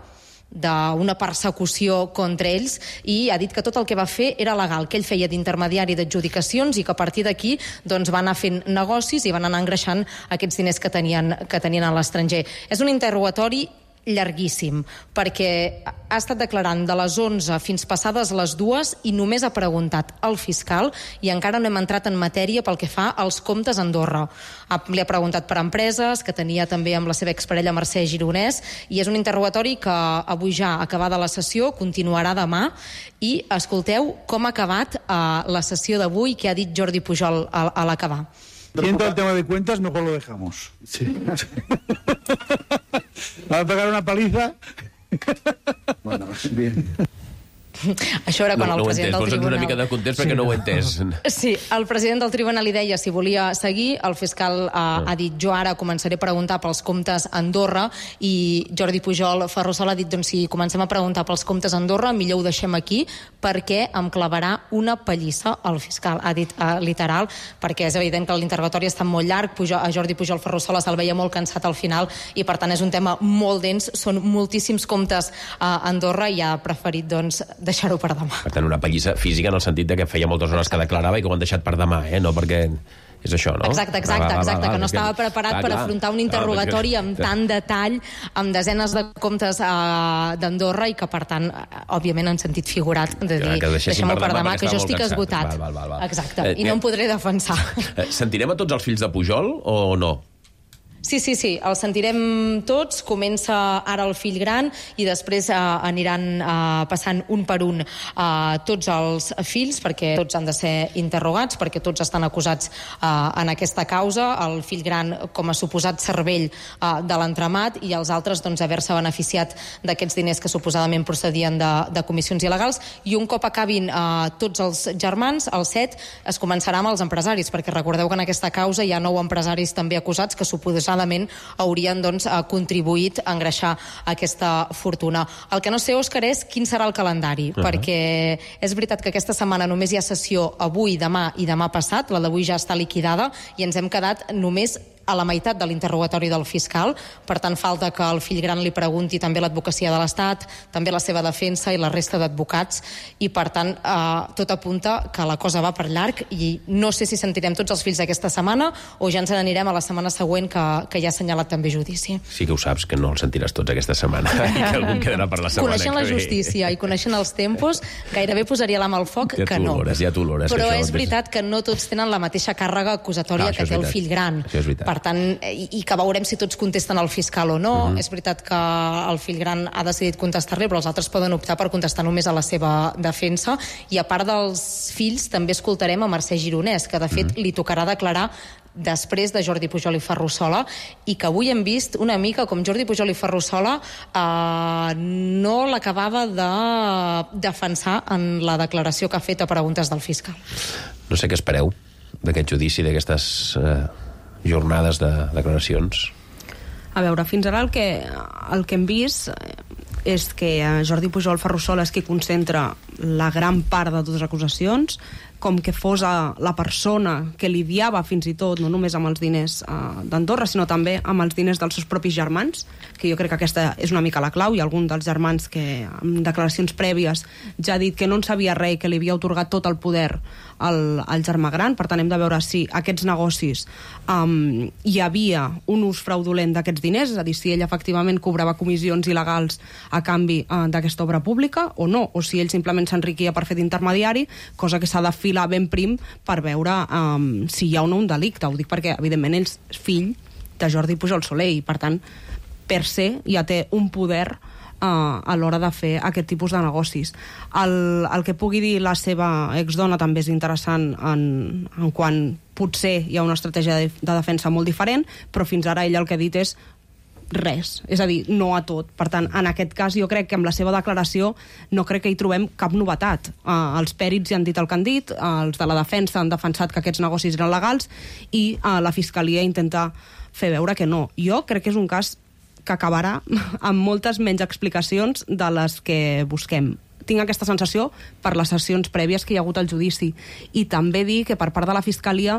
d'una persecució contra ells, i ha dit que tot el que va fer era legal, que ell feia d'intermediari d'adjudicacions i que a partir d'aquí va anar fent negocis i van anar engreixant aquests diners que tenien a l'estranger. És un interrogatori llarguíssim, perquè ha estat declarant de les 11 fins passades les 2 i només ha preguntat al fiscal i encara no hem entrat en matèria pel que fa als comptes a Andorra. Li ha preguntat per empreses, que tenia també amb la seva exparella Mercè Gironès, i és un interrogatori que avui ja acabada la sessió continuarà demà. I escolteu com ha acabat la sessió d'avui, que ha dit Jordi Pujol a l'acabar. Viendo el tema de cuentas, mejor lo dejamos. Sí. Va a pegar una paliza. Bueno, bien. Això era quan el president del Tribunal... una mica de context perquè no ho he entès. Sí, el president del Tribunal li deia si volia seguir, el fiscal ha dit jo ara començaré a preguntar pels comptes a Andorra, i Jordi Pujol Ferrusola ha dit doncs si comencem a preguntar pels comptes a Andorra millor ho deixem aquí perquè em clavarà una pallissa el fiscal, ha dit literal, perquè és evident que l'interrogatori està molt llarg, a Jordi Pujol Ferrusola se'l veia molt cansat al final i per tant és un tema molt dens, són moltíssims comptes a Andorra i ha preferit doncs deixar-ho per demà. Per tant, una pallissa física en el sentit de que feia moltes hores que declarava i que ho han deixat per demà, no perquè... És això, no? Exacte, que no estava preparat per afrontar un interrogatori amb tant detall, amb desenes de comptes d'Andorra i que, per tant, òbviament en sentit figurat de dir, deixem-ho per demà, que jo estic esgotat. Exacte, i no em podré defensar. Sentirem a tots els fills de Pujol o no? Sí, els sentirem tots. Comença ara el fill gran i després aniran passant un per un tots els fills, perquè tots han de ser interrogats, perquè tots estan acusats en aquesta causa. El fill gran com a suposat cervell de l'entramat i els altres doncs, haver-se beneficiat d'aquests diners que suposadament procedien de comissions il·legals. I un cop acabin tots els germans, els 7, es començarà amb els empresaris, perquè recordeu que en aquesta causa hi ha 9 empresaris també acusats que suposadament haurien doncs, contribuït a engreixar aquesta fortuna. El que no sé, Òscar, és quin serà el calendari, perquè és veritat que aquesta setmana només hi ha sessió avui, demà i demà passat, la d'avui ja està liquidada i ens hem quedat només a la meitat de l'interrogatori del fiscal, per tant falta que el fill gran li pregunti també l'advocacia de l'Estat, també la seva defensa i la resta d'advocats, i per tant tot apunta que la cosa va per llarg i no sé si sentirem tots els fills d'aquesta setmana o ja ens n'anirem a la setmana següent que ja ha assenyalat també judici. Sí que ho saps, que no els sentiràs tots aquesta setmana i que algú quedarà per la setmana coneixent la justícia i coneixent els tempos, gairebé posaria l'ama al foc que no. Ja t'ho olores. Però és veritat que no tots tenen la mateixa càrrega acusatòria que té el fill gran. Per tant, i que veurem si tots contesten al fiscal o no. És veritat que el fill gran ha decidit contestar-li, però els altres poden optar per contestar només a la seva defensa. I a part dels fills, també escoltarem a Mercè Gironès, que de fet li tocarà declarar després de Jordi Pujol i Ferrusola, i que avui hem vist una mica com Jordi Pujol i Ferrusola no l'acabava de defensar en la declaració que ha fet a preguntes del fiscal. No sé què espereu d'aquest judici, d'aquestes jornades de declaracions. A veure, fins ara el que hem vist és que Jordi Pujol Ferrusola és qui concentra la gran part de totes les acusacions, com que fos la persona que lidiava fins i tot, no només amb els diners d'Andorra, sinó també amb els diners dels seus propis germans, que jo crec que aquesta és una mica la clau. Hi ha algun dels germans que en declaracions prèvies ja ha dit que no en sabia res i que li havia atorgat tot el poder al germà gran. Per tant, hem de veure si aquests negocis hi havia un ús fraudulent d'aquests diners, és a dir, si ell efectivament cobrava comissions il·legals a canvi d'aquesta obra pública o no, o si ell simplement s'enriquia per fer d'intermediari, cosa que s'ha de filar ben prim per veure si hi ha o no un delicte. Ho dic perquè, evidentment, ell és fill de Jordi Pujol Soler i, per tant, per se ja té un poder a l'hora de fer aquest tipus de negocis. El que pugui dir la seva exdona també és interessant en quan potser hi ha una estratègia de defensa molt diferent, però fins ara ella el que ha dit és res, és a dir, no a tot. Per tant, en aquest cas jo crec que amb la seva declaració no crec que hi trobem cap novetat. Els pèrits ja han dit el que han dit, els de la defensa han defensat que aquests negocis eren legals i la Fiscalia intenta fer veure que no. Jo crec que és un cas que acabarà amb moltes menys explicacions de les que busquem. Tinc aquesta sensació per les sessions prèvies que hi ha hagut al judici. I també dir que per part de la Fiscalia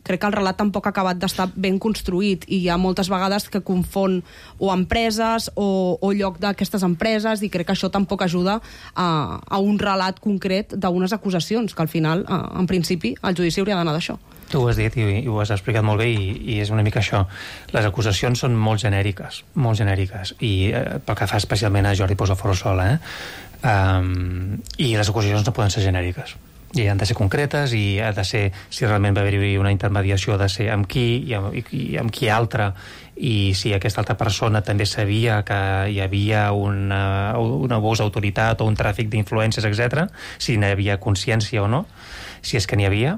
crec que el relat tampoc ha acabat d'estar ben construït i hi ha moltes vegades que confon o empreses o lloc d'aquestes empreses i crec que això tampoc ajuda a un relat concret d'unes acusacions, que al final, en principi, el judici hauria d'anar d'això. Tu ho has dit i ho has explicat molt bé i és una mica això. Les acusacions són molt genèriques i pel que fa especialment a Jordi Pujol Ferrusola, i les acusacions no poden ser genèriques i han de ser concretes i ha de ser, si realment va haver-hi una intermediació, ha de ser amb qui i amb qui altre, i si aquesta altra persona també sabia que hi havia un abús d'autoritat o un tràfic d'influències, etc., si n'hi havia consciència o no, si és que n'hi havia,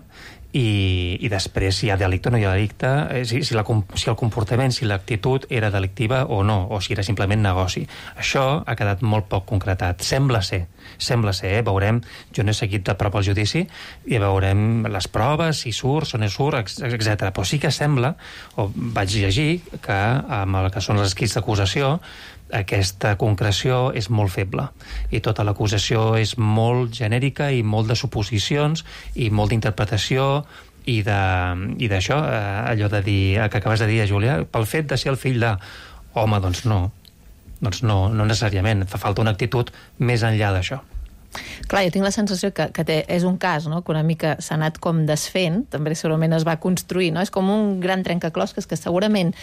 i després si hi ha delicte o no hi ha delicte, si el comportament, si l'actitud era delictiva o no, o si era simplement negoci. Això ha quedat molt poc concretat. Sembla ser, veurem, jo no he seguit de prop el judici i veurem les proves, si surt, si no surt, etc. Però sí que sembla, o vaig llegir, que amb el que són els escrits d'acusació aquesta concreció és molt feble i tota l'acusació és molt genèrica i molt de suposicions i molt d'interpretació i d'això, allò de dir, que acabes de dir, Júlia, pel fet de ser el fill de... Home, doncs no necessàriament, fa falta una actitud més enllà d'això. Clar, jo tinc la sensació que és un cas, no?, que una mica s'ha anat com desfent, també segurament es va construir, no? És com un gran trencaclosques que segurament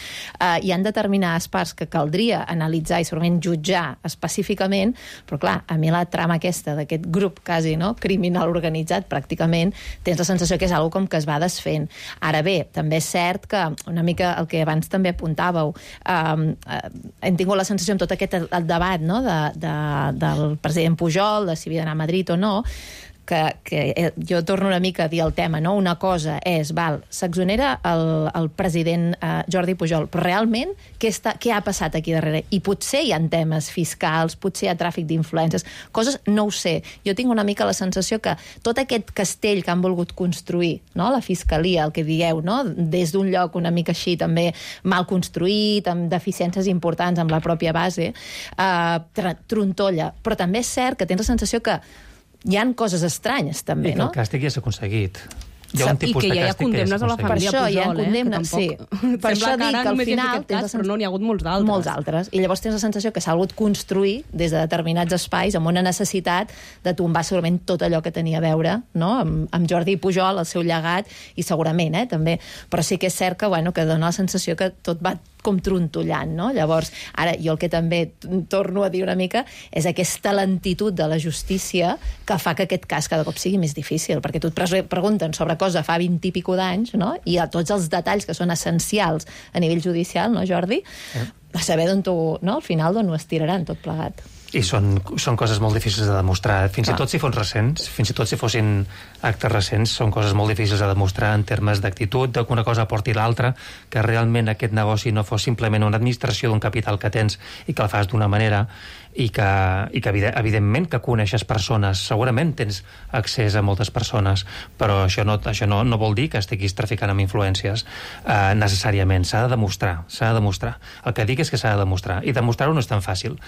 hi han determinades parts que caldria analitzar i segurament jutjar específicament, però clar, a mi la trama aquesta d'aquest grup quasi, no?, criminal organitzat pràcticament, tens la sensació que és algo com que es va desfent. Ara bé, també és cert que una mica el que abans també apuntàveu, hem tingut la sensació amb tot aquest debat, no?, del president Pujol, de si havia d'anar a Madrid o no, que jo torno una mica a dir el tema, no? Una cosa és, s'exonera el president Jordi Pujol, però realment què ha passat aquí darrere? I potser hi ha temes fiscals, potser hi ha tràfic d'influències, coses no ho sé. Jo tinc una mica la sensació que tot aquest castell que han volgut construir, no? La fiscalia, el que dieu, no? Des d'un lloc una mica així també mal construït, amb deficiències importants amb la pròpia base, trontolla. Però també és cert que tens la sensació que hi ha coses estranyes, també, no? I que el càstig ja s'ha aconseguit. Hi ha un tipus I que de ja hi ha càstig condemnes a la família Pujol, hi ha condemnes, sí. Per això dic que al final però no n'hi ha hagut molts altres. I llavors tens la sensació que s'ha hagut construir des de determinats espais amb una necessitat de tombar segurament tot allò que tenia a veure, no?, amb Jordi Pujol, el seu llegat, i segurament, també. Però sí que és cert que, que dona la sensació que tot va com trontollant, no? Llavors, ara, jo el que també torno a dir una mica és aquesta lentitud de la justícia que fa que aquest cas cada cop sigui més difícil, perquè tu et pregunten sobre cosa fa 20 i pico d'anys, no?, i a tots els detalls que són essencials a nivell judicial, no, Jordi? A saber d'on no? Al final d'on ho estiraran tot plegat. I són coses molt difícils de demostrar. Fins i tot si fos recents, fins i tot si fossin actes recents, són coses molt difícils de demostrar en termes d'actitud, que una cosa porti l'altra, que realment aquest negoci no fos simplement una administració d'un capital que tens i que el fas d'una manera i que evidentment que coneixes persones, segurament tens accés a moltes persones, però això no vol dir que estiguis traficant amb influències necessàriament. S'ha de demostrar. El que dic és que s'ha de demostrar, i demostrar-ho no és tan fàcil.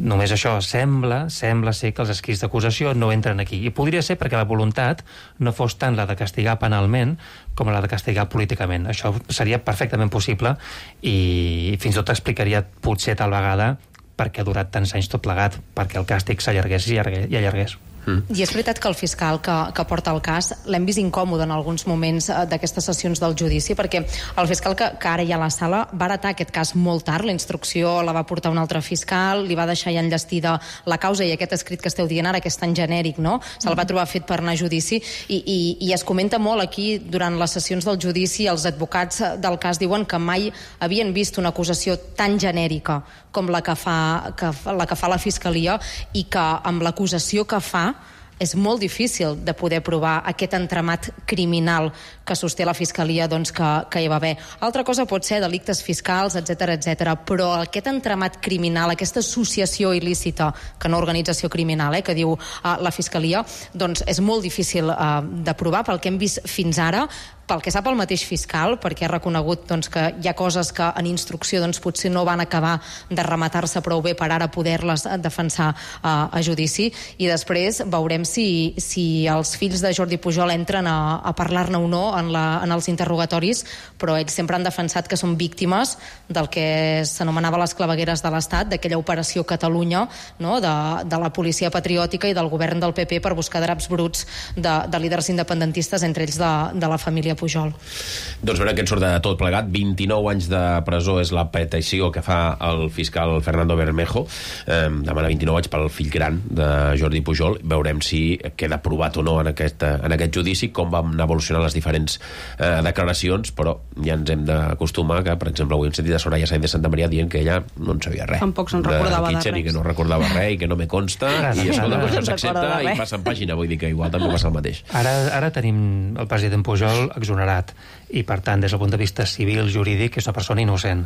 Només això sembla ser que els escrits d'acusació no entren aquí, i podria ser perquè la voluntat no fos tant la de castigar penalment com la de castigar políticament. Això seria perfectament possible i fins i tot explicaria potser tal vegada perquè ha durat tants anys tot plegat, perquè el càstig s'allargués i allargués. I és veritat que el fiscal que porta el cas l'hem vist incòmode en alguns moments d'aquestes sessions del judici, perquè el fiscal que ara hi ha a la sala va heretar aquest cas molt tard, la instrucció la va portar un altre fiscal, li va deixar ja enllestida la causa, i aquest escrit que esteu dient ara, que és tan genèric, no?, se'l va trobar fet per anar a judici, i es comenta molt aquí durant les sessions del judici. Els advocats del cas diuen que mai havien vist una acusació tan genèrica com la que fa la fiscalia, i que amb l'acusació que fa és molt difícil de poder provar aquest entramat criminal que sosté la fiscalia, doncs, que hi va haver. Altra cosa pot ser delictes fiscals, etc., però aquest entramat criminal, aquesta associació il·lícita, que no organització criminal, que diu la fiscalia, doncs és molt difícil de provar pel que hem vist fins ara, pel que sap el mateix fiscal, perquè ha reconegut que hi ha coses que en instrucció potser no van acabar de rematar-se prou bé per ara poder-les defensar a judici, i després veurem si els fills de Jordi Pujol entren a parlar-ne o no en els interrogatoris, però ells sempre han defensat que són víctimes del que s'anomenava les clavegueres de l'Estat, d'aquella operació Catalunya, no?, de la policia patriòtica i del govern del PP per buscar draps bruts de líders independentistes, entre ells de la família Pujol. Doncs veurem que en surt de tot plegat. 29 anys de presó és la petició que fa el fiscal Fernando Bermejo. Demana 29 anys pel fill gran de Jordi Pujol. Veurem si queda aprovat o no en aquest judici, com van evolucionar les diferents declaracions, però ja ens hem d'acostumar que, per exemple, avui hem sentit a Soraya Sáenz de Santa Maria dient que ella no en sabia res. Tampoc se'n recordava de res. I que no recordava res i que no me consta, i això no s'accepta i passa en pàgina. Vull dir que igual també passa el mateix. Ara tenim el president Pujol exonerat i, per tant, des del punt de vista civil, jurídic, és una persona innocent.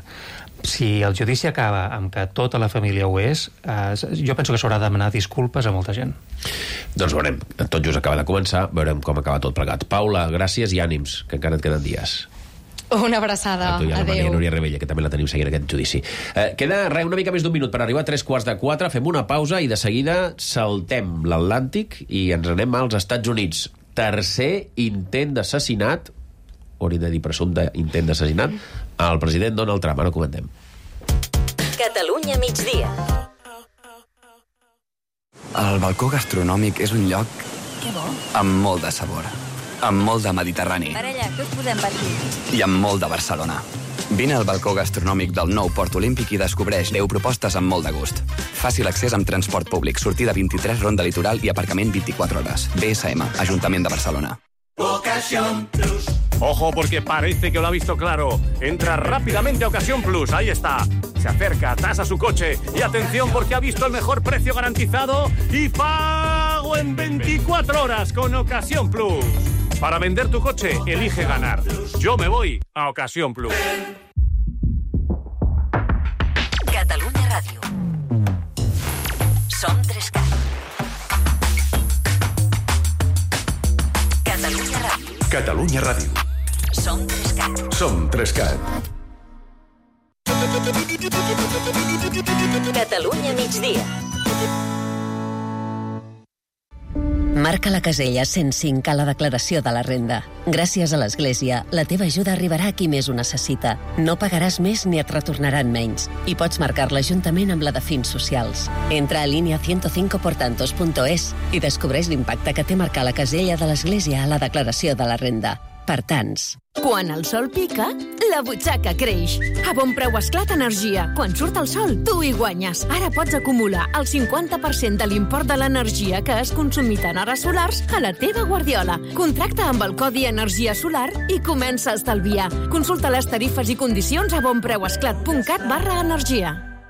Si el judici acaba amb que tota la família ho és, jo penso que s'haurà de demanar disculpes a molta gent. Doncs veurem. Tot just acaba de començar, veurem com acaba tot plegat. Paula, gràcies i ànims, que encara et queden dies. Una abraçada. A tu i a la Maria Núria Rebella, que també la tenim seguint aquest judici. Queda una mica més d'un minut per arribar a 3:45. Fem una pausa i de seguida saltem l'Atlàntic i ens anem als Estats Units. Tercer intent d'assassinat, hauria de dir presumpte intent d'assassinat, al president Donald Trump. Ara ho comentem. Catalunya migdia. El balcó gastronòmic és un lloc amb molt de sabor, amb molt de Mediterrani Parella, què us podem patir? i amb molt de Barcelona. Vine al balcó gastronòmic del nou Port Olímpic i descobreix 10 propostes amb molt de gust. Fàcil accés amb transport públic, sortida 23 Ronda Litoral i aparcament 24 hores. BSM, Ajuntament de Barcelona. Ocasión Plus. Ojo, porque parece que lo ha visto claro. Entra rápidamente a Ocasión Plus, ahí está. Se acerca, tasa su coche y atención porque ha visto el mejor precio garantizado y pago en 24 horas con Ocasión Plus. Para vender tu coche, elige ganar. Yo me voy a Ocasión Plus. Catalunya Ràdio. Som 3CAT. Catalunya Ràdio. Catalunya Ràdio. Som 3CAT. Som 3CAT. Catalunya migdia. Marca la casella 105 a la declaració de la renda. Gràcies a l'Església, la teva ajuda arribarà a qui més ho necessita. No pagaràs més ni et retornaran menys. I pots marcar-la juntament amb la de fins socials. Entra a línia 105portantos.es i descobreix l'impacte que té marcar la casella de l'Església a la declaració de la renda. Per tants. Quan el sol pica, la butxaca creix. A Bon Preu Esclat Energia. Quan surt el sol, tu hi guanyes. Ara pots acumular el 50% de l'import de l'energia que has consumit en hores solars a la teva guardiola. Contracta amb el codi Energia Solar i comença a estalviar. Consulta les tarifes i condicions a bonpreuesclat.cat/energia.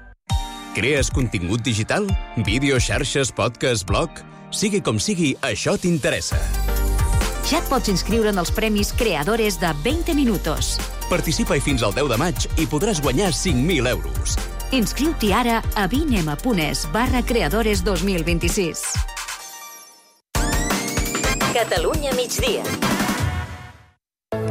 Crees contingut digital? Vídeo, xarxes, podcast, blog? Sigui com sigui, això t'interessa. Ja et pots inscriure en els premis Creadores de 20 Minutos. Participa-hi fins al 10 de maig i podràs guanyar 5.000 euros. Inscriu-t'hi ara a vinema.es/creadores 2026. Catalunya migdia.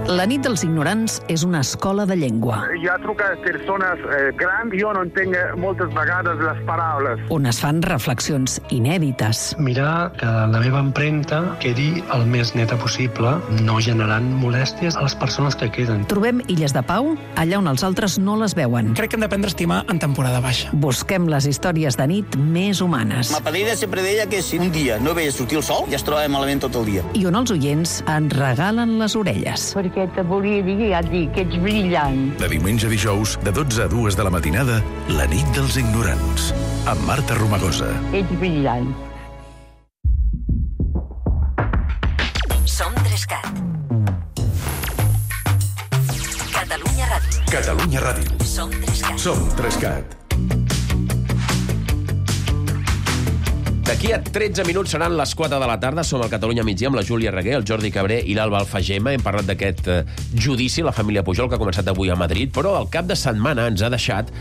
La nit dels ignorants és una escola de llengua. Jo truco a persones grans, jo no entenc moltes vegades les paraules. On es fan reflexions inèdites. Mirar que la meva empremta quedi el més neta possible, no generant molèsties a les persones que queden. Trobem illes de pau allà on els altres no les veuen. Crec que hem d'aprendre a estimar en temporada baixa. Busquem les històries de nit més humanes. Ma padrina sempre deia que si un dia no veia sortir el sol, ja es trobava malament tot el dia. I on els oients ens regalen les orelles. Perquè te volia dir, ja et dic, que ets brillant. De diumenge a dijous, de 12 a 2 de la matinada, la nit dels ignorants, amb Marta Romagosa. Ets brillant. Som 3CAT. Catalunya Ràdio. Catalunya Ràdio. Som 3CAT. Som 3CAT. D'aquí a 13 minuts seran les 4 de la tarda. Som al Catalunya migdia amb la Júlia Reguer, el Jordi Cabré i l'Alba Alfagema. Hem parlat d'aquest judici a la família Pujol que ha començat avui a Madrid, però el cap de setmana ens ha deixat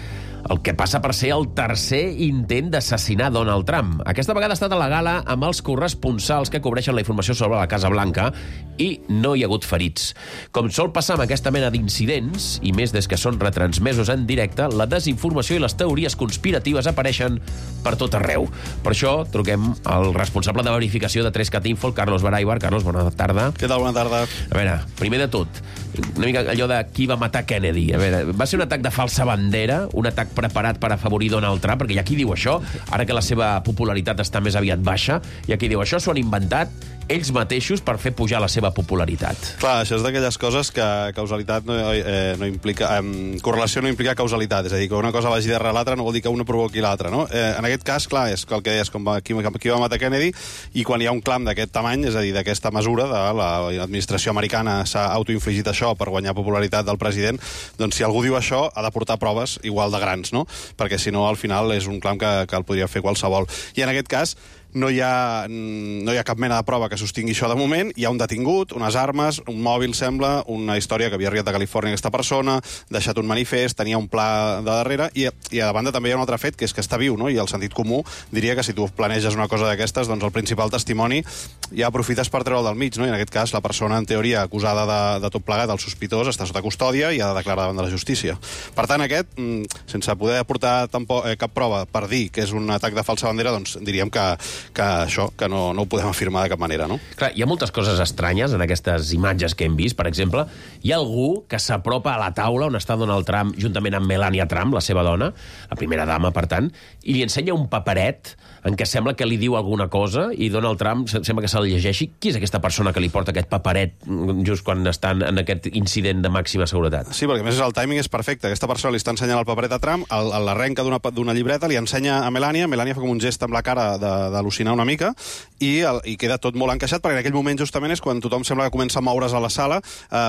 el que passa per ser el tercer intent d'assassinar Donald Trump. Aquesta vegada ha estat a la gala amb els corresponsals que cobreixen la informació sobre la Casa Blanca i no hi ha hagut ferits. Com sol passar amb aquesta mena d'incidents, i més des que són retransmesos en directe, la desinformació i les teories conspiratives apareixen per tot arreu. Per això truquem al responsable de verificació de 3CAT Info, el Carlos Baraibar. Carlos, bona tarda. Què tal? Bona tarda. A veure, primer de tot, una mica allò de qui va matar Kennedy. A veure, va ser un atac de falsa bandera, un atac preparat per afavorir Donald Trump, perquè hi ha qui diu això, ara que la seva popularitat està més aviat baixa, hi ha qui diu això s'ho han inventat ells mateixos per fer pujar la seva popularitat. Clar, això és d'aquelles coses que causalitat no implica... correlació no implica causalitat, és a dir, que una cosa vagi darrere l'altra no vol dir que una provoqui l'altra, no? En aquest cas, clar, és el que deies, com qui va matar Kennedy, i quan hi ha un clam d'aquest tamany, és a dir, d'aquesta mesura, de l'administració americana s'ha autoinfligit això per guanyar popularitat del president, doncs si algú diu això, ha de portar proves igual de grans, no? Perquè si no, al final, és un clam que el podria fer qualsevol. I en aquest cas, no hi ha cap mena de prova que sostingui això de moment. Hi ha un detingut, unes armes, un mòbil, sembla, una història que havia arribat a Califòrnia aquesta persona, deixat un manifest, tenia un pla de darrere, i a banda també hi ha un altre fet, que és que està viu, no? I el sentit comú diria que si tu planeges una cosa d'aquestes, doncs el principal testimoni ja aprofites per treure'l del mig, no? I en aquest cas la persona, en teoria, acusada de tot plegat, el sospitós, està sota custòdia i ha de declarar davant de la justícia. Per tant, aquest, sense poder aportar cap prova per dir que és un atac de falsa bandera, doncs diríem que no ho podem afirmar de cap manera, no? Clar, hi ha moltes coses estranyes en aquestes imatges que hem vist. Per exemple, hi ha algú que s'apropa a la taula on està Donald Trump juntament amb Melania Trump, la seva dona, la primera dama, per tant, i li ensenya un paperet en què sembla que li diu alguna cosa i Donald Trump sembla que se'l llegeixi. Qui és aquesta persona que li porta aquest paperet just quan estan en aquest incident de màxima seguretat? Sí, perquè a més el timing és perfecte. Aquesta persona li està ensenyant el paperet a Trump, l'arrenca d'una llibreta, li ensenya a Melania fa com un gest amb la cara d'al·lucinar una mica i queda tot molt encaixat, perquè en aquell moment justament és quan tothom sembla que comença a moure's a la sala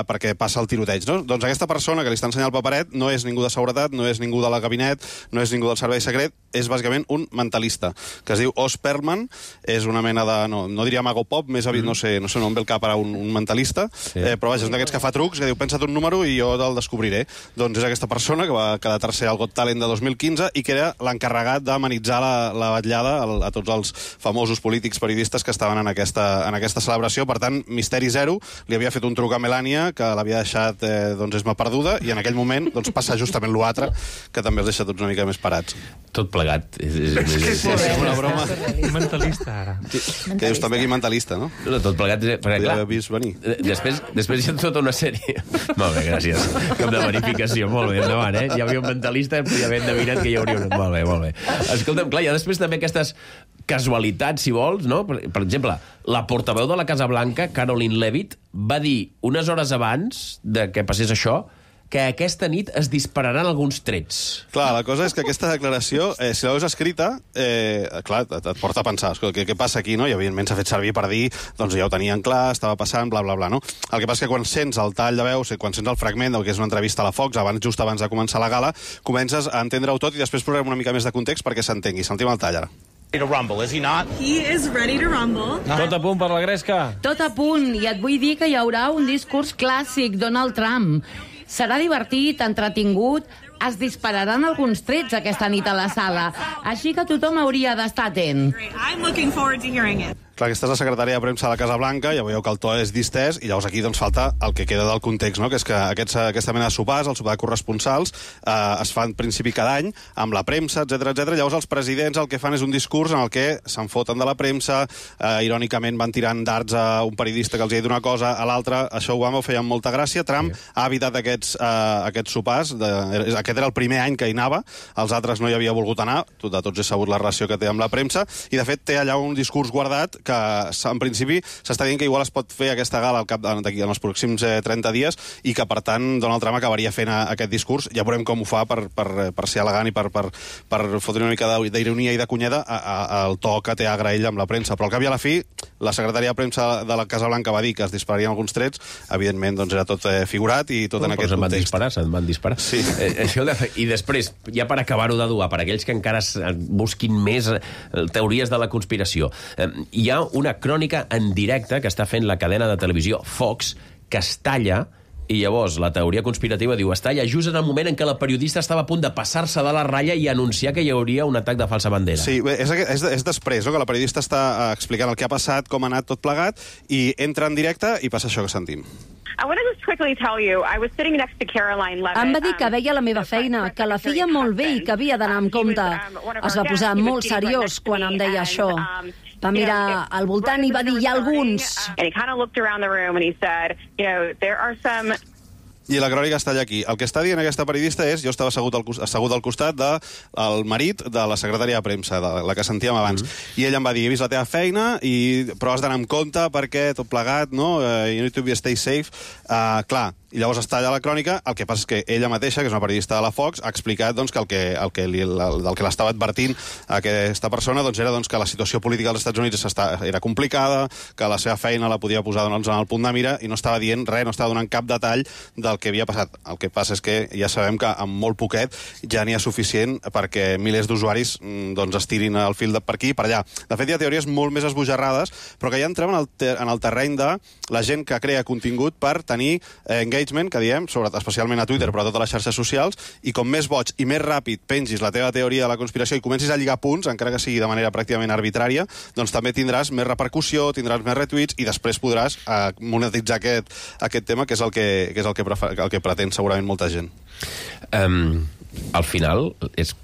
perquè passa el tiroteig, no? Doncs aquesta persona que li està ensenyant el paperet no és ningú de seguretat, no és ningú de la gabinet, no és ningú del servei secret, és bàsicament un mentalista, que es diu Oz Perlman, és una mena de... no diria mago pop, més aviat, no sé on ve el cap ara un mentalista, però vaja, és un d'aquests que fa trucs, que diu, pensa't un número i jo te'l descobriré. Doncs és aquesta persona que va quedar tercer al Got Talent de 2015 i que era l'encarregat d'amenitzar la vetllada a tots els famosos polítics periodistes que estaven en aquesta celebració. Per tant, misteri zero, li havia fet un truc a Melania, que l'havia deixat esma perduda, i en aquell moment passa justament l'altre, que també els deixa tots una mica més parats. Tot plegat. És una broma. Mentalista, ara. Que dius també aquí mentalista, no? No, tot plegat... Perquè, clar, vist venir. Després hi ha tota una sèrie... Molt bé, gràcies. Com de verificació, molt bé, endavant, eh? Hi havia un mentalista, ja havia endevinat que hi hauria un... Molt bé. Escolta'm, clar, hi ha després també aquestes casualitats, si vols, no? Per exemple, la portaveu de la Casa Blanca, Caroline Leavitt, va dir unes hores abans de que passés això que aquesta nit es dispararan alguns trets. Clar, la cosa és que aquesta declaració, si la veus escrita, clar, et porta a pensar, què passa aquí, no? I evidentment s'ha fet servir per dir, doncs ja ho tenien clar, estava passant, bla, bla, bla, no? El que passa és que quan sents el tall de veus, quan sents el fragment del que és una entrevista a la Fox, just abans de començar la gala, comences a entendre-ho tot i després posarem una mica més de context perquè s'entengui. Sentim el tall, ara. To rumble, is he not? He is ready to rumble. Tot a punt per la gresca? Tot a punt, i et vull dir que hi haurà un discurs clàssic, Donald Trump. Serà divertit, entretingut, es dispararan alguns trets aquesta nit a la sala, així que tothom hauria d'estar atent. I'm looking forward to hearing it. Clar, aquesta és la secretària de premsa de la Casa Blanca, ja veieu que el to és distès, i llavors aquí doncs falta el que queda del context, no? Que és que aquesta mena de sopars, el sopar de corresponsals, es fa en principi cada any, amb la premsa, etc. Llavors els presidents el que fan és un discurs en el que se'n foten de la premsa, irònicament van tirant dards a un periodista que els ha dit una cosa, a l'altre, això Obama ho feia amb molta gràcia, Trump ha evitat aquests sopars, aquest era el primer any que hi anava, els altres no hi havia volgut anar, de tots és sabut la relació que té amb la premsa, i de fet té allà un discurs guardat que en principi s'està dient que igual es pot fer aquesta gala en els pròxims 30 dies i que per tant Donald Trump acabaria fent aquest discurs. Ja veurem com ho fa per ser elegant i per fotre una mica d'ironia i de cunyada al to que té a agrair amb la premsa. Però al cap i a la fi, la secretària de premsa de la Casa Blanca va dir que es dispararien alguns trets, evidentment doncs era tot figurat i tot en aquest context. Se'n van disparar. Sí. I després, ja per acabar-ho de dur, per aquells que encara busquin més teories de la conspiració, hi ha una crònica en directe que està fent la cadena de televisió Fox, que es talla, i llavors la teoria conspirativa diu es talla just en el moment en què la periodista estava a punt de passar-se de la ratlla i anunciar que hi hauria un atac de falsa bandera. Sí, és després, no? Que la periodista està explicant el que ha passat, com ha anat tot plegat, i entra en directe i passa això que sentim. Em va dir que veia la meva feina, que la feia molt bé i que havia d'anar amb compte. Es va posar molt seriós quan em deia això. Va mirar al voltant i va dir, hi ha alguns. I la crònica està allà aquí. El que està dient aquesta periodista és, jo estava assegut al costat del marit de la secretària de premsa, de la que sentíem abans, i ell em va dir, he vist la teva feina, però has d'anar amb compte perquè tot plegat, no? You need to be stay safe. Clar, i llavors està allà la crònica, el que passa és que ella mateixa, que és una periodista de la Fox, ha explicat doncs, que el que l'estava advertint a aquesta persona doncs, era doncs, que la situació política als Estats Units era complicada, que la seva feina la podia posar doncs, en el punt de mira, i no estava dient res, no estava donant cap detall del que havia passat. El que passa és que ja sabem que amb molt poquet ja n'hi ha suficient perquè milers d'usuaris doncs, estirin el fil per aquí i per allà. De fet, hi ha teories molt més esbojarrades, però que ja entrem en el terreny de la gent que crea contingut per tenir engagement, que diem, especialment a Twitter, però a totes les xarxes socials, i com més boig i més ràpid pengis la teva teoria de la conspiració i comencis a lligar punts, encara que sigui de manera pràcticament arbitrària, doncs també tindràs més repercussió, tindràs més retweets i després podràs monetitzar aquest tema, que és el que pretén segurament molta gent. Al final,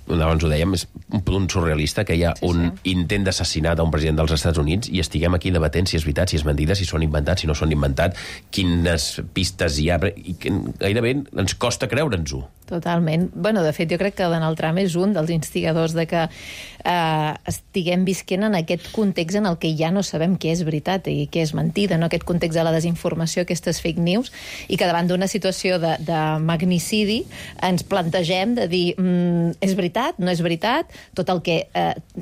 abans ho dèiem, és un punt surrealista que hi ha un intent d'assassinat a un president dels Estats Units i estiguem aquí debatent si és veritat, si és mentida, si són inventats, si no són inventats, quines pistes hi ha, i gairebé ens costa creure'ns-ho. Totalment. Bueno, de fet, jo crec que Donald Trump és un dels instigadors de que estiguem visquent en aquest context en el que ja no sabem què és veritat i què és mentida, no? Aquest context de la desinformació, aquestes fake news, i que davant d'una situació de magnicidi ens plantegem de dir és veritat, no és veritat, tot el que...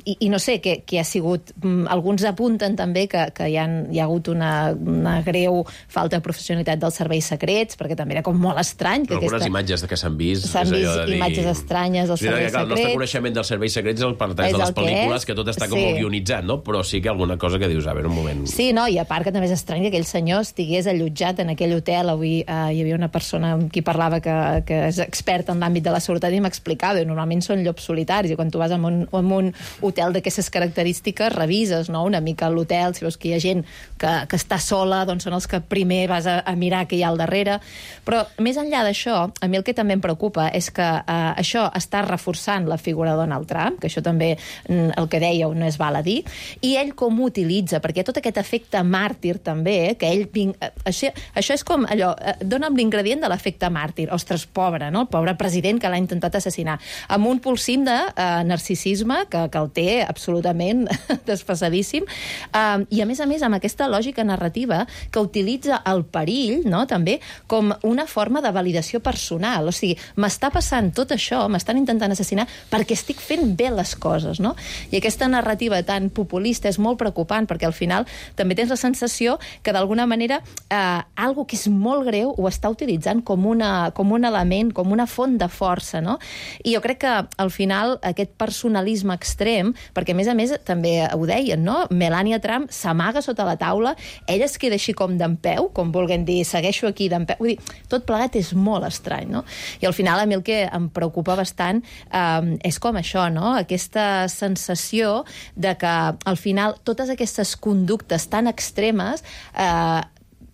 I no sé, que ha sigut... Alguns apunten també que hi ha hagut una greu falta de professionalitat dels serveis secrets, perquè també era com molt estrany. Algunes imatges que s'han vist imatges estranyes dels serveis secrets. El nostre coneixement dels serveis secrets és el parteix de les pel·lícules, que tot està com guionitzat, no? Però sí que alguna cosa que dius, a veure, un moment... Sí, no, i a part que també és estrany que aquell senyor estigués allotjat en aquell hotel. Avui hi havia una persona amb qui parlava que és expert en l'àmbit de la seguretat i m'explicava, normalment són llops solitaris, i quan tu vas a un hotel d'aquestes característiques revises, no?, una mica l'hotel, si veus que hi ha gent que està sola, doncs són els que primer vas a mirar què hi ha al darrere. Però més enllà d'això, a mi el que també em preocupa és que això està reforçant la figura de Donald Trump, que això també, el que dèieu, no és val a dir, i ell com ho utilitza, perquè tot aquest efecte màrtir també, que ell... Això és com allò, dona'm l'ingredient de l'efecte màrtir. Ostres, pobre, no? El pobre president que l'ha intentat assassinar. Amb un pulsim de narcisisme que el té absolutament desfasadíssim, i a més, amb aquesta lògica narrativa que utilitza el perill, no?, també, com una forma de validació personal. O sigui, m'està passant tot això, m'estan intentant assassinar perquè estic fent bé les coses, no? I aquesta narrativa tan populista és molt preocupant, perquè al final també tens la sensació que d'alguna manera algo que és molt greu ho està utilitzant com un element, com una font de força, no? I jo crec que al final aquest personalisme extrem, perquè a més també ho deien, no? Melania Trump s'amaga sota la taula, ella es queda així com d'empeu, com vulguem dir, segueixo aquí d'empeu. Vull dir, tot plegat és molt estrany, no? I al final a mi el que em preocupa bastant és com això, no? Aquesta sensació de que al final totes aquestes conductes tan extremes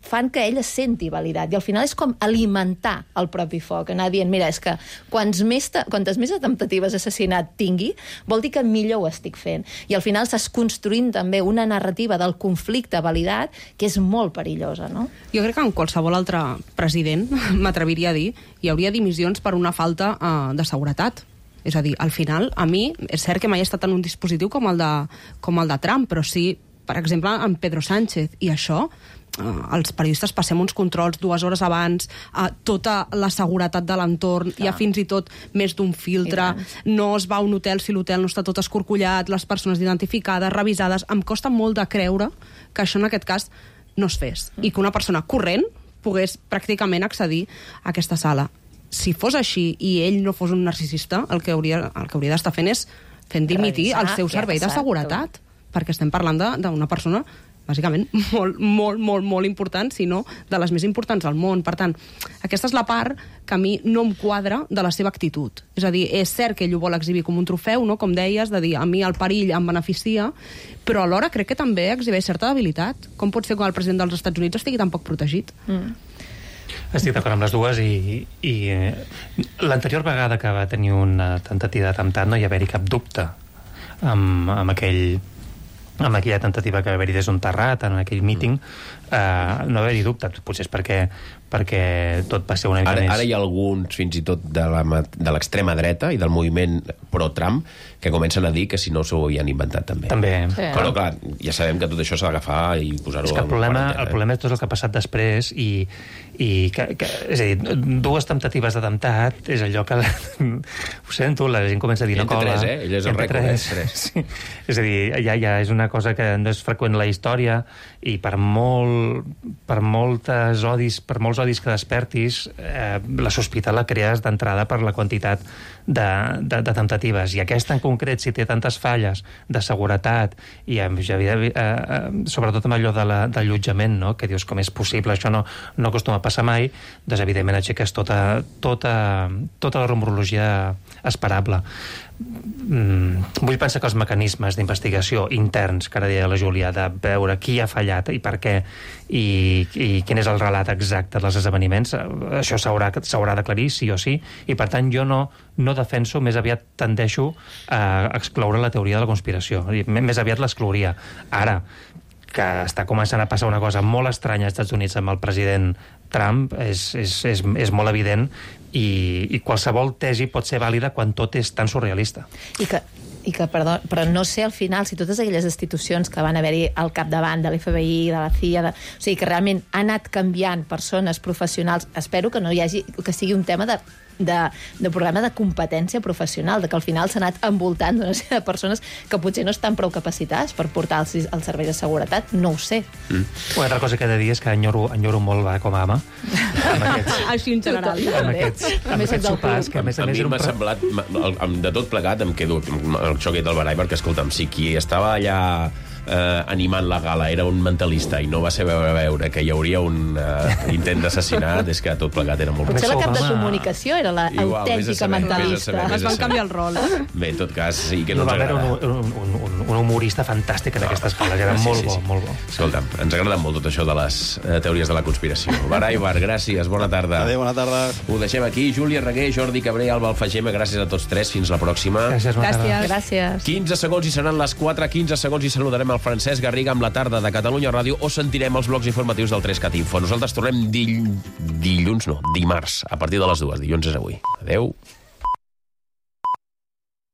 fan que ell es senti validat, i al final és com alimentar el propi foc, anar dient, mira, és que quantes més temptatives d'assassinat tingui, vol dir que millor ho estic fent, i al final s'està construint també una narrativa del conflicte validat que és molt perillosa, no? Jo crec que en qualsevol altre president, m'atreviria a dir, hi hauria dimissions per una falta de seguretat. És a dir, al final, a mi, és cert que mai he estat en un dispositiu com el de Trump, però sí, per exemple, en Pedro Sánchez, i això... els periodistes passem uns controls 2 hores abans, tota la seguretat de l'entorn, hi ha fins i tot més d'un filtre, no es va a un hotel si l'hotel no està tot escorcollat, les persones identificades, revisades. Em costa molt de creure que això en aquest cas no es fes, i que una persona corrent pogués pràcticament accedir a aquesta sala. Si fos així i ell no fos un narcisista, el que hauria d'estar fent és fent dimitir el seu servei de seguretat, perquè estem parlant d'una persona bàsicament molt important, si no de les més importants del món. Per tant, aquesta és la part que a mi no em quadra de la seva actitud. És a dir, és cert que ell ho vol exhibir com un trofeu, no? Com deies, de dir, a mi el perill em beneficia, però alhora crec que també exhibeix certa debilitat. Com pot ser que el president dels Estats Units estigui tan poc protegit? Estic d'acord amb les dues, i l'anterior vegada que va tenir una tentativa d'atemptat no hi haver-hi cap dubte amb aquella tentativa que va haver-hi des d'un terrat, en aquell míting, no haver-hi dubte. Potser és perquè perquè tot va ser una mica més... Ara hi ha alguns, fins i tot, de l'extrema dreta i del moviment pro-Trump, que comencen a dir que si no s'ho havien inventat també. Sí. Però, clar, ja sabem que tot això s'ha d'agafar i posar-ho... És que el problema és tot el que ha passat després i és a dir, dues temptatives d'atemptat és allò que... Ho sento, la gent comença a dir... Ell té 3, ell és el rècord, 3. Sí. És a dir, ja és una cosa que no és freqüent en la història i per molts odis que despertis, la sospita la crees d'entrada per la quantitat de temptatives. I aquesta en concret, si té tantes falles de seguretat i sobretot amb allò de l'allotjament, no? Que dius com és possible, això no acostuma a passar mai, doncs evidentment aixeques tota la rumorologia esperable. Vull pensar que els mecanismes d'investigació interns, que ara deia la Júlia, de veure qui ha fallat i per què i quin és el relat exacte dels esdeveniments, això s'haurà d'aclarir sí o sí, i per tant jo no defenso, més aviat tendeixo a excloure la teoria de la conspiració, més aviat l'exclouria. Ara, que està començant a passar una cosa molt estranya als Estats Units amb el president Trump és molt evident i qualsevol tesi pot ser vàlida quan tot és tan surrealista. I que, perdó, però no sé al final si totes aquelles institucions que van haver-hi al capdavant de l'FBI, de la CIA, o sigui, que realment ha anat canviant persones professionals, espero que no hi hagi, que sigui un tema de programa de competència professional, de que al final s'ha anat envoltant d'una sèrie de persones que potser no estan prou capacitades per portar els serveis de seguretat, no ho sé. Una altra cosa que he de dir és que enyoro molt com a ama. Així en general. Amb aquests sopars, que a més a mi m'ha semblat, de tot plegat em quedo amb el xoc del barall, perquè escolta'm, si qui estava allà animant la gala era un mentalista i no va saber veure que hi hauria un intent d'assassinat, és que tot plegat era molt... Potser la cap de comunicació era l'autèntica mentalista. Es van canviar el rol. Bé, en tot cas, sí que no ens agrada. Un humorista fantàstic en aquestes gales, era molt bo. Escolta'm, ens agrada molt tot això de les teories de la conspiració. Barai Bar, gràcies, bona tarda. Adéu, bona tarda. Ho deixem aquí. Júlia Reguer, Jordi Cabré, Alba Alfagema, gràcies a tots tres. Fins la pròxima. Gràcies. 15 segons i seran les 4, 15 segons i saludarem el Francesc Garriga amb la tarda de Catalunya Ràdio o sentirem els blocs informatius del 3CAT Info. Nosaltres tornem dimarts, a partir de les 2. Dilluns és avui. Adéu.